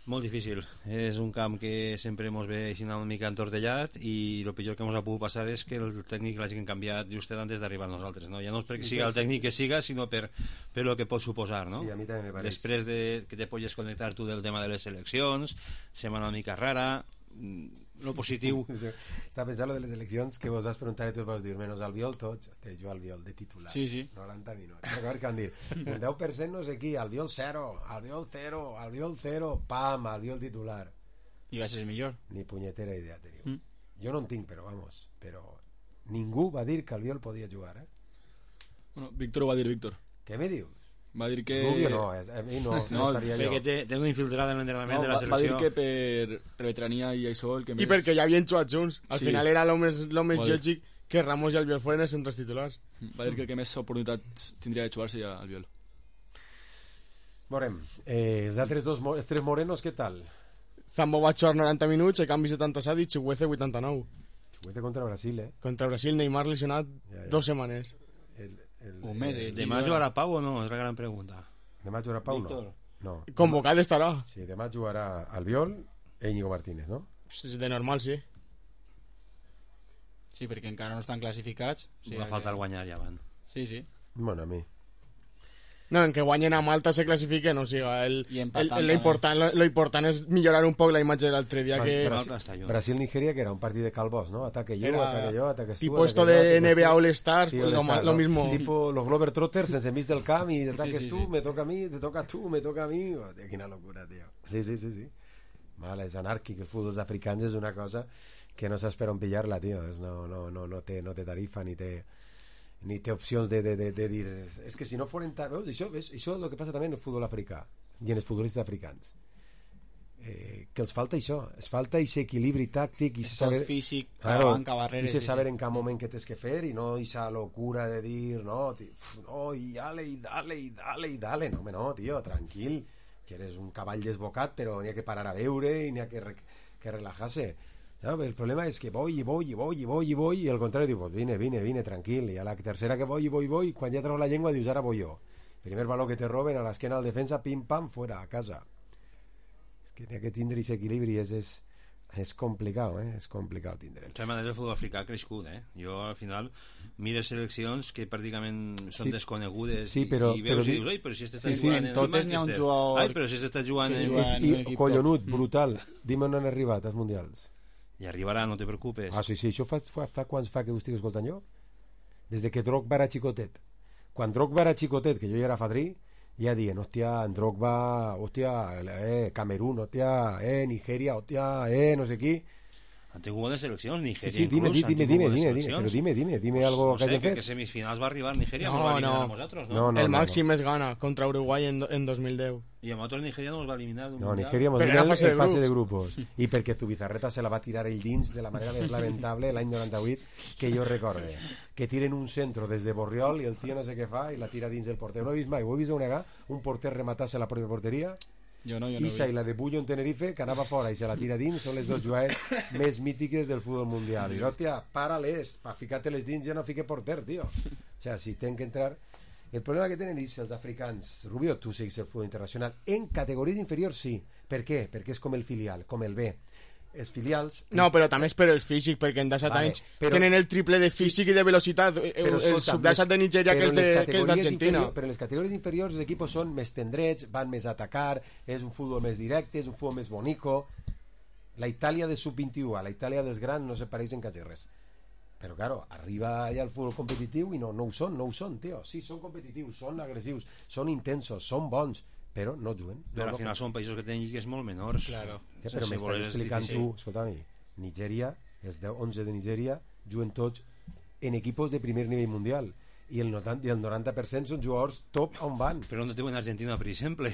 Molt difícil. És un camp que sempre ens ve així una mica entortellat i el pitjor que ens ha pogut passar és que el tècnic l'hagin canviat just antes d'arribar a nosaltres, no? Ja no és perquè Sí, siga sí, el tècnic sí. que siga, sinó per, per lo que pot suposar, no? Sí, a mi també me pareix. Després de que te pots connectar tu del tema de les eleccions, sembla una mica rara, lo positiu... Està pensant lo de les eleccions que vos vas preguntar i tu vas dir menos Albiol tots, té jo Albiol de titular. Sí, sí. noranta minuts. Recordo que van dir un deu per cent no sé qui, Albiol zero, Albiol zero, Albiol zero, pam, Albiol titular. I va ser el millor. Ni punyetera idea teniu. Mm. Jo no en tinc, però vamos, però ningú va dir que Albiol podia jugar, eh? Bueno, Víctor ho va dir, Víctor. Què me dius? Va dir que... Rubio no, és- a mi no, no estaria jo. Perquè té, té una infiltrada en l'entrenament No, de la va, va dir selecció. que per, per veterania i això el que més... I perquè ja havien jugat junts. Al Sí. final era el més, lo més Va dir- lògic que Ramos i Albiol foren els centres titulars. Va dir que el que més oportunitats tindria de jugar seria Albiol. Veurem. Eh, els altres dos, mo- els tres morenos, què tal? Zambo va jugar noranta minuts, a canvi setanta-set i Chuguece vuitanta-nou. Chuguece contra Brasil, eh? Contra Brasil, Neymar lesionat Ja, ja. dos setmanes. El, el, Un mes, el- demà jugarà Pau o no? És la gran pregunta. Demà jugarà Pau, no? Víctor. No. Convocat estarà. Sí, demà jugarà Albiol e Íñigo Martínez, no? De normal, sí. Sí, perquè encara no estan classificats. Sí, va faltar guanyar ja van. Sí, sí. Bueno, a mi. No, en que guanyen a Malta se classifiquen, o sigui, el, I el, empatant el, lo, important, lo, lo important és millorar un poc la imatge de l'altre dia. Que... Brasil, Brasil-Nigeria, que era un partit de calvos, ¿no? Ataque yo, Era ataque yo, ataques tú. tipo esto ataque yo, de ataques N B A tú. All-Stars, Sí, pues lo All-Star, ma- lo ¿no? mismo. Tipo los Glover Trotters en semis del camp y te ataques Sí, sí, tú, sí. me toca a mí, te toca tú, me toca a mí. Oh, tío, quina locura, tío. Sí, sí, sí, sí. Vale, és anàrquic, el futbol africans és una cosa que no saps per on pillar-la, tio. És, no, no, no, no, té, no té tarifa ni té ni té opcions de, de, de, de dir és que si no foren ta... veus, això, veus, això és el que passa també en el futbol africà i en els futbolistes africans, eh, que els falta això, els falta aquest equilibri tàctic i És saber tot físic, claro, banca, barreres, i se sí, saber sí. en cada moment què tens que fer i no aquesta locura de dir no, ti- uf, no, i dale, i dale, i dale, i dale, no, home, no, tio, tranquil, que eres un cavall desbocat però n'hi ha que parar a veure i n'hi ha que, re, que relajar-se. ¿sabes? El problema es que voy y voy y voy y voy y voy y al contrario digo, pues vine, vine, vine, tranquil, y a la tercera que voy y voy y voy, quan ja treus la llengua dius, ara voy jo. Primer baló que te roben, a l'esquena al defensa, pim, pam, fuera, a casa. És que té que tindre aquest equilibri, és, és, és complicat, eh? És complicat tindre. De totes maneres, el futbol africà ha crescut, eh? Jo, al final, mires seleccions que pràcticament són Sí. desconegudes Sí, però- i veus però i di- dius, ai, però si este Sí, està sí, jugant en en totes el n'hi ha un Manchester. jugador Ai, però si este està jugant que en... juga en un equip collonut, brutal. Dime on han arribat els mundials. I arribarà, no te preocupes. Ah, sí, sí, això fa, fa, fa quants fa que ho estic escoltant jo? Des de que Drogba era xicotet. Quan Drogba era xicotet, que jo ja era fadrí, ja dient, hòstia, en Drogba, hòstia, eh, Camerún, hòstia, eh, Nigeria, hòstia, eh, no sé qui. Han tingut bones seleccions, Nigeria Sí, sí, dime, inclús, dime, han tingut dime, bones dime, dime, seleccions. però dime, dime, dime algo no que sé, hagin que, fet. que semifinals va arribar Nigeria, No, no, va eliminar no. a nosaltres, no? No, no, el no, màxim no. és Ghana contra Uruguai en, en dos mil deu. I a nosaltres Nigeria no ens va eliminar d'un No, mundial. Nigeria mos Però vino era fase en de fase de grups. grupos. I perquè Zubizarreta se la va tirar ell dins de la manera més lamentable l'any noranta-vuit que jo recorde. Que tiren un centro des de Borriol i el tio no sé què fa i la tira dins del porter. No he vist mai, ho he vist una un porter rematar-se la pròpia porteria. Jo no, jo no Isa he i la de Bullo en Tenerife, que anava fora i se la tira dins, són les dues jugades més mítiques del futbol mundial. I hòstia, para-les, pa ficar-te-les dins ja no fique porter, tio. O sea, si tenen que entrar... El problema que tenen és els africans. Rubio, tu seguis el futbol internacional. En categories inferiors sí. Per què? Perquè és com el filial, com el B. Els filials... No, però també és per el físic, perquè en disset Vale, anys però- tenen el triple de físic i de velocitat. El, Però, el escolta, sub-disset de Nigeria, que però és en les de- que és categories d'Argentina. inferior- Però en les categories inferiors els equipos són més tendrets, van més a atacar, és un futbol més directe, és un futbol més bonico. La Itàlia de sub vint-i-u a la Itàlia dels grans no se pareixen quasi res. Però, claro, arriba allà el futbol competitiu i no, no ho són, no ho són, tio. Sí, són competitius, són agressius, són intensos, són bons, però no juguen. Però no, al final no. són països que tenen lligues molt menors. Claro. Sí, però Si m'estàs vols, és explicant difícil. tu, escolta-mi, Nigèria, els deu onze de Nigèria juguen tots en equipos de primer nivell mundial i el noranta, i el noranta per cent són jugadors top on van. Però no diuen Argentina, per exemple.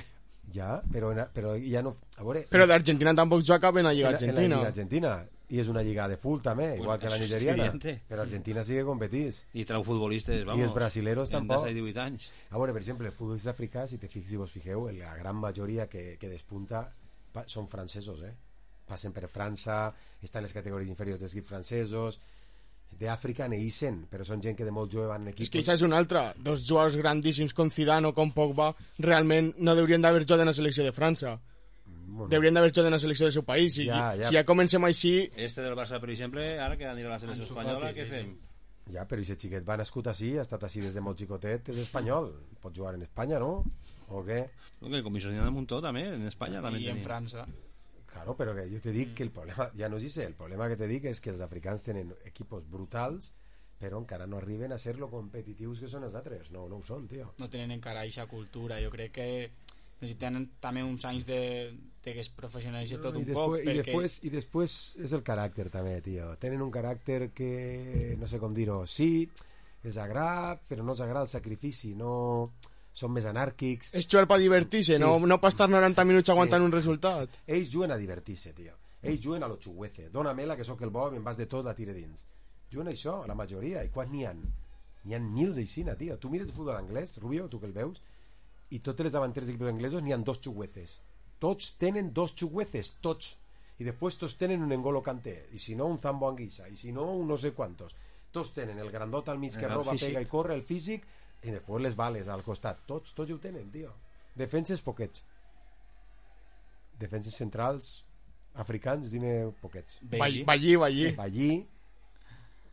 Ja, però, en, però ja no... A veure, Però d'Argentina tampoc juga en la Lliga en la- en la Argentina. Lliga Argentina. I és una lliga de full també, igual que la això és nigeriana. evidente. Però Argentina sí que competís. I trau futbolistes, vamos. I els brasileros en tampoc. disset i divuit anys. A veure, per exemple, els futbolistes africans, si te fixes, si vos fixeu, la gran majoria que, que despunta pa, són francesos, eh? Passen per França, estan en les categories inferiors dels equips francesos, d'Àfrica neixen, però són gent que de molt jove van en equips... És que això és una altra. Dos jugadors grandíssims com Zidane o com Pogba realment no haurien d'haver jugat en la selecció de França. Bueno. Deurien d'haver jugat en la selecció del seu país. Si Ja, ja, ja. si ja comencem així... Este del Barça, per exemple, ara que anirà a la selecció Ansu espanyola, Fati, què sí, fem? Ja, però aquest xiquet va nascut així, ha estat així des de molt xicotet, és espanyol. Pot jugar en Espanya, no? O què? Que comissionat de Montó també, en Espanya també I en tenim. França. Claro, però que jo te dic que el problema, ja no és ese, el problema que te dic és que els africans tenen equipos brutals, però encara no arriben a ser lo competitius que són els altres. No, no ho són, tio. No tenen encara aquesta cultura. Jo crec que necessiten també uns anys de, de que es professionalitzi tot No, un i, poc. després, i, perquè... després, I després és el caràcter també, tio. Tenen un caràcter que, no sé com dir-ho, sí, és agrat, però no és agrat el sacrifici, no... Són més anàrquics. És jugar per divertir-se, Sí. no, no per estar noranta minuts aguantant Sí. un resultat. Ells juguen a divertir-se, tio. Ells juguen a lo xuguece. Dónamela, que sóc el bo, i en vas de tot, la tire dins. Juguen a això, la majoria. I quan n'hi ha? N'hi ha mils d'aixina, tio. Tu mires el futbol anglès, Rubio, tu que el veus, i totes les davanteres d'equips anglesos n'hi ha dos xugueces. Tots tenen dos xugueces, tots. I després tots tenen un N'Golo Kanté, i si no un Zambo Anguissa, i si no un no sé quantos. Tots tenen el grandot al mig que El roba, físic. pega i corre, el físic, i després les bales al costat. Tots, tots ho tenen, tio. Defenses poquets. Defenses centrals africans, dime poquets. Ballí, Ballí, Ballí. Ballí.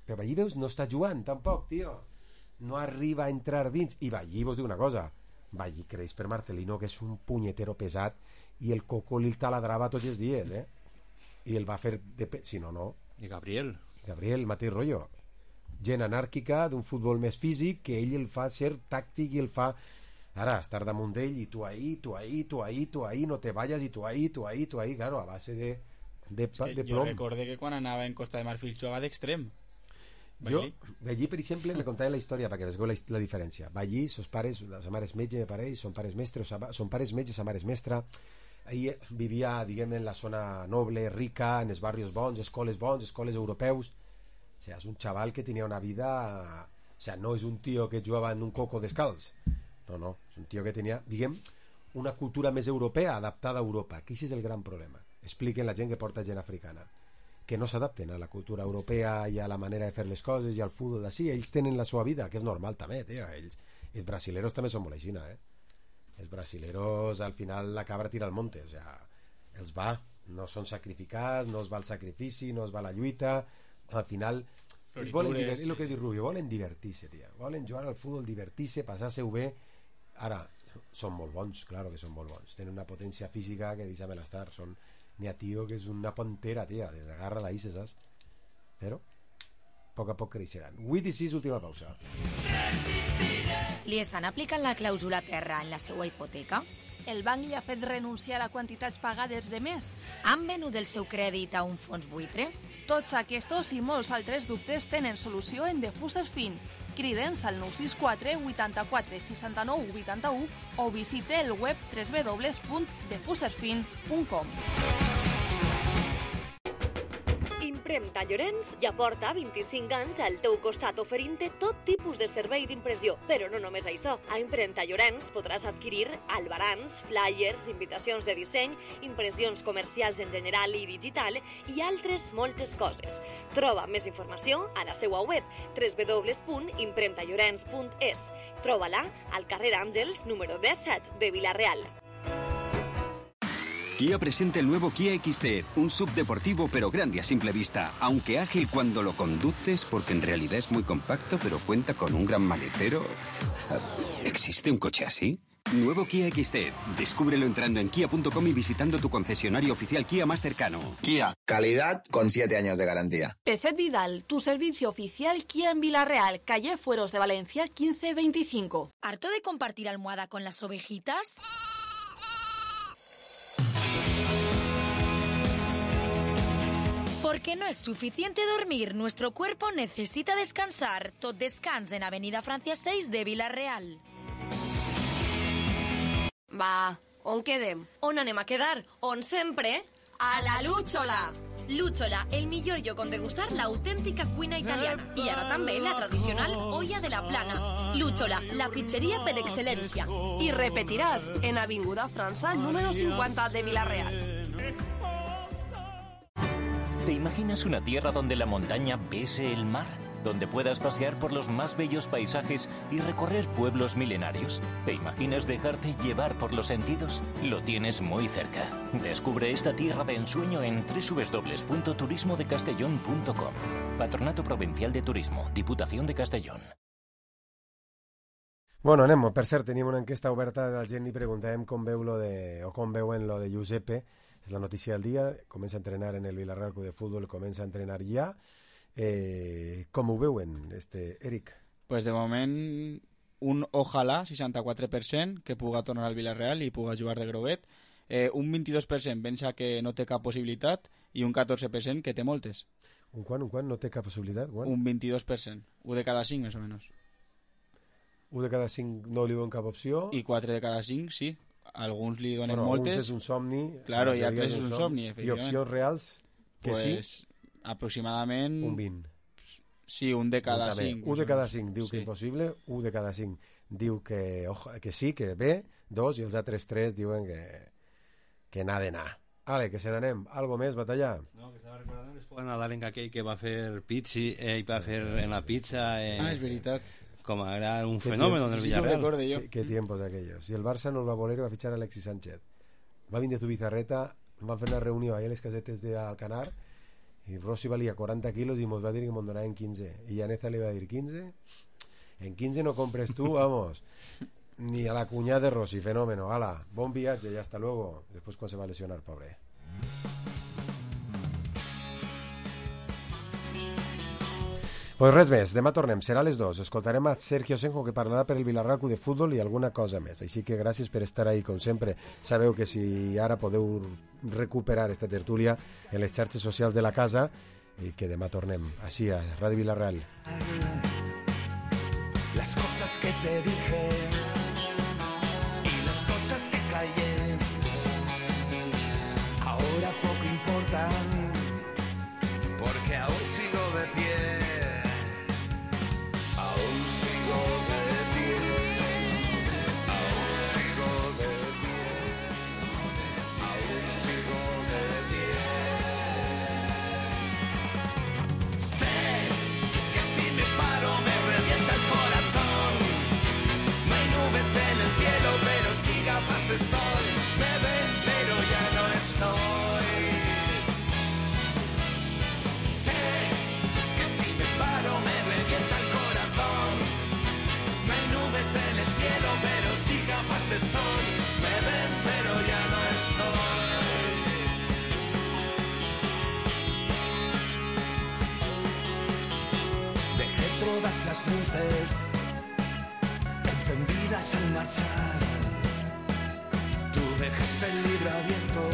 Però Ballí, veus, no està jugant tampoc, tio. No arriba a entrar dins. I Ballí, vos diu una cosa. Ballí creix per Marcelino, que és un punyetero pesat, i el Coco li taladrava tots els dies, eh? I el va fer de... Pe... Si no, no. I Gabriel. Gabriel, mateix rotllo. Gent anàrquica, d'un futbol més físic, que ell el fa ser tàctic i el fa... Ara, estar damunt d'ell i tu ahí, tu ahí, tu ahí, tu ahí, no te vayas, i tu ahí, tu ahí, tu ahí, claro, a base de, de, És que de jo plom. recordé que quan anava en Costa de Marfil jugava d'extrem. Jo, Ballí. Ballí, per exemple, me contava la història perquè veieu la, la diferència. Ballí, sos pares, la sa mare és metge, me pareix, son pares mestres, son pares metges, sa mare és mestra. Ahir vivia, diguem, en la zona noble, rica, en els barris bons, escoles bons, escoles europeus. O sea, és un xaval que tenia una vida... O sea, no és un tio que jugava en un coco descalç. No, no, és un tio que tenia, diguem, una cultura més europea adaptada a Europa, que això és el gran problema. Expliquen la gent que porta gent africana, que no s'adapten a la cultura europea i a la manera de fer les coses i al futbol d'ací. Ells tenen la seva vida, que és normal també, tio. Ells, els brasileros també són molt així, eh? Els brasileros al final la cabra tira al monte, o sea, els va, no són sacrificats, no es va al sacrifici, no es va a la lluita, al final ells volen divertir, és el que diu Rubio, volen divertir-se, tia, volen jugar al futbol, divertir-se, passar-se-ho bé. Ara, són molt bons, claro que són molt bons, tenen una potència física que deixa-me l'estar, són n'hi ha tio que és una pantera, tia, desagarra la issa, saps? Però a poc a poc creixeran. vuit i sis, última pausa. Li estan aplicant la clàusula terra en la seva hipoteca? El banc li ha fet renunciar a quantitats pagades de més? Han venut el seu crèdit a un fons buitre? Tots aquests i molts altres dubtes tenen solució en Defuser Fin. Crida'ns al nou sis quatre vuitanta-quatre seixanta-nou vuitanta-u o visite el web w w w punt defuserfin punt com. Impremta Llorenç ja porta vint-i-cinc anys al teu costat oferint-te tot tipus de servei d'impressió. Però no només això. A Impremta Llorenç podràs adquirir albarans, flyers, invitacions de disseny, impressions comercials en general i digital i altres moltes coses. Troba més informació a la seva web w w w punt impremta llorenç punt es. Troba-la al carrer Àngels número disset de Vila-real. Kia presenta el nuevo Kia X T, un sub deportivo pero grande a simple vista, aunque ágil cuando lo conduces porque en realidad es muy compacto pero cuenta con un gran maletero. ¿Existe un coche así? Nuevo Kia X T, descúbrelo entrando en kia punto com y visitando tu concesionario oficial Kia más cercano. Kia, calidad con siete años de garantía. Peset Vidal, tu servicio oficial Kia en Vila-real, calle Fueros de Valencia quince veinticinco. ¿Harto de compartir almohada con las ovejitas? Porque no es suficiente dormir, nuestro cuerpo necesita descansar. Tot descans en Avenida Francia seis de Vila-real. Va, on quedem? On anem a quedar? On sempre? A la Lúchola! Lúchola, el millor lloc on degustar l'autèntica cuina italiana. I ara també la tradicional olla de la plana. Lúchola, la pizzeria per excel·lència. I repetiràs en Avinguda França, número cincuenta de Vila-real. ¿Te imaginas una tierra donde la montaña bese el mar? ¿Donde puedas pasear por los más bellos paisajes y recorrer pueblos milenarios? ¿Te imaginas dejarte llevar por los sentidos? Lo tienes muy cerca. Descubre esta tierra de ensueño en w w w punto turismo de castellón punto com. Patronato Provincial de Turismo, Diputación de Castellón. Bueno, anem. Per cert, tenim una enquesta oberta de la gent i preguntàvem com veu lo de, o com veuen lo de Giuseppe. És la notícia del dia. Comença a entrenar en el Villarreal Club de Fútbol, comença a entrenar ja. Eh, com ho veuen, este Eric? Pues de moment un ojalà seixanta-quatre per cent que puga tornar al Villarreal i puga jugar de groguet, eh, un vint-i-dos per cent pensa que no té cap possibilitat i un catorze per cent que té moltes. Un quant, un quant? No té cap possibilitat? Quan? Un vint-i-dos per cent, un de cada cinc més o menys. Un de cada cinc no li donen cap opció? I quatre de cada cinc, sí. Alguns li donen bueno, moltes. Alguns és un somni. Claro, i altres és un somni, efectivament. I opcions reals? Que pues, sí? Aproximadament... Un vint. Sí, un de cada un cinc. Un de cada cinc diu sí. que impossible, un de cada cinc diu que, ojo, que sí, que bé, dos, i els altres tres diuen que, que n'ha d'anar. Ale, que se n'anem. Algo més, Batalla? No, que estava recordant l'esposa nadalenca aquell que va fer pizzi, eh, i va fer en la pizza... Eh, ah, és veritat. Com era un fenómeno en el Villarreal. ¿Qué, qué tiempos de aquellos? Y el Barça no el va a voler, va a fichar a Alexis Sánchez. Va vindre Zubizarreta, van fer una reunió ahí a les casetes d'Alcanar i Rossi valia quaranta quilos i mos va dir que mos donaven quinze. I Llaneza li va dir quinze? En quinze no compres tú, vamos. Ni a la cuñada de Rossi, fenómeno. Hala, bon viatge y hasta luego. Después cuando se va a lesionar, pobre. Pues res més, demà tornem, serà a les dues. Escoltarem a Sergio Senjo, que parlarà per el Villarreal Club de Futbol i alguna cosa més. Així que gràcies per estar ahí, com sempre. Sabeu que si ara podeu recuperar esta tertúlia en les xarxes socials de la casa i que demà tornem així a Ràdio Villarreal. Las cosas que te dije y las cosas que callé ahora poco importan porque aún sigo de pie. todas las luces encendidas al marchar. Tú dejaste el libro abierto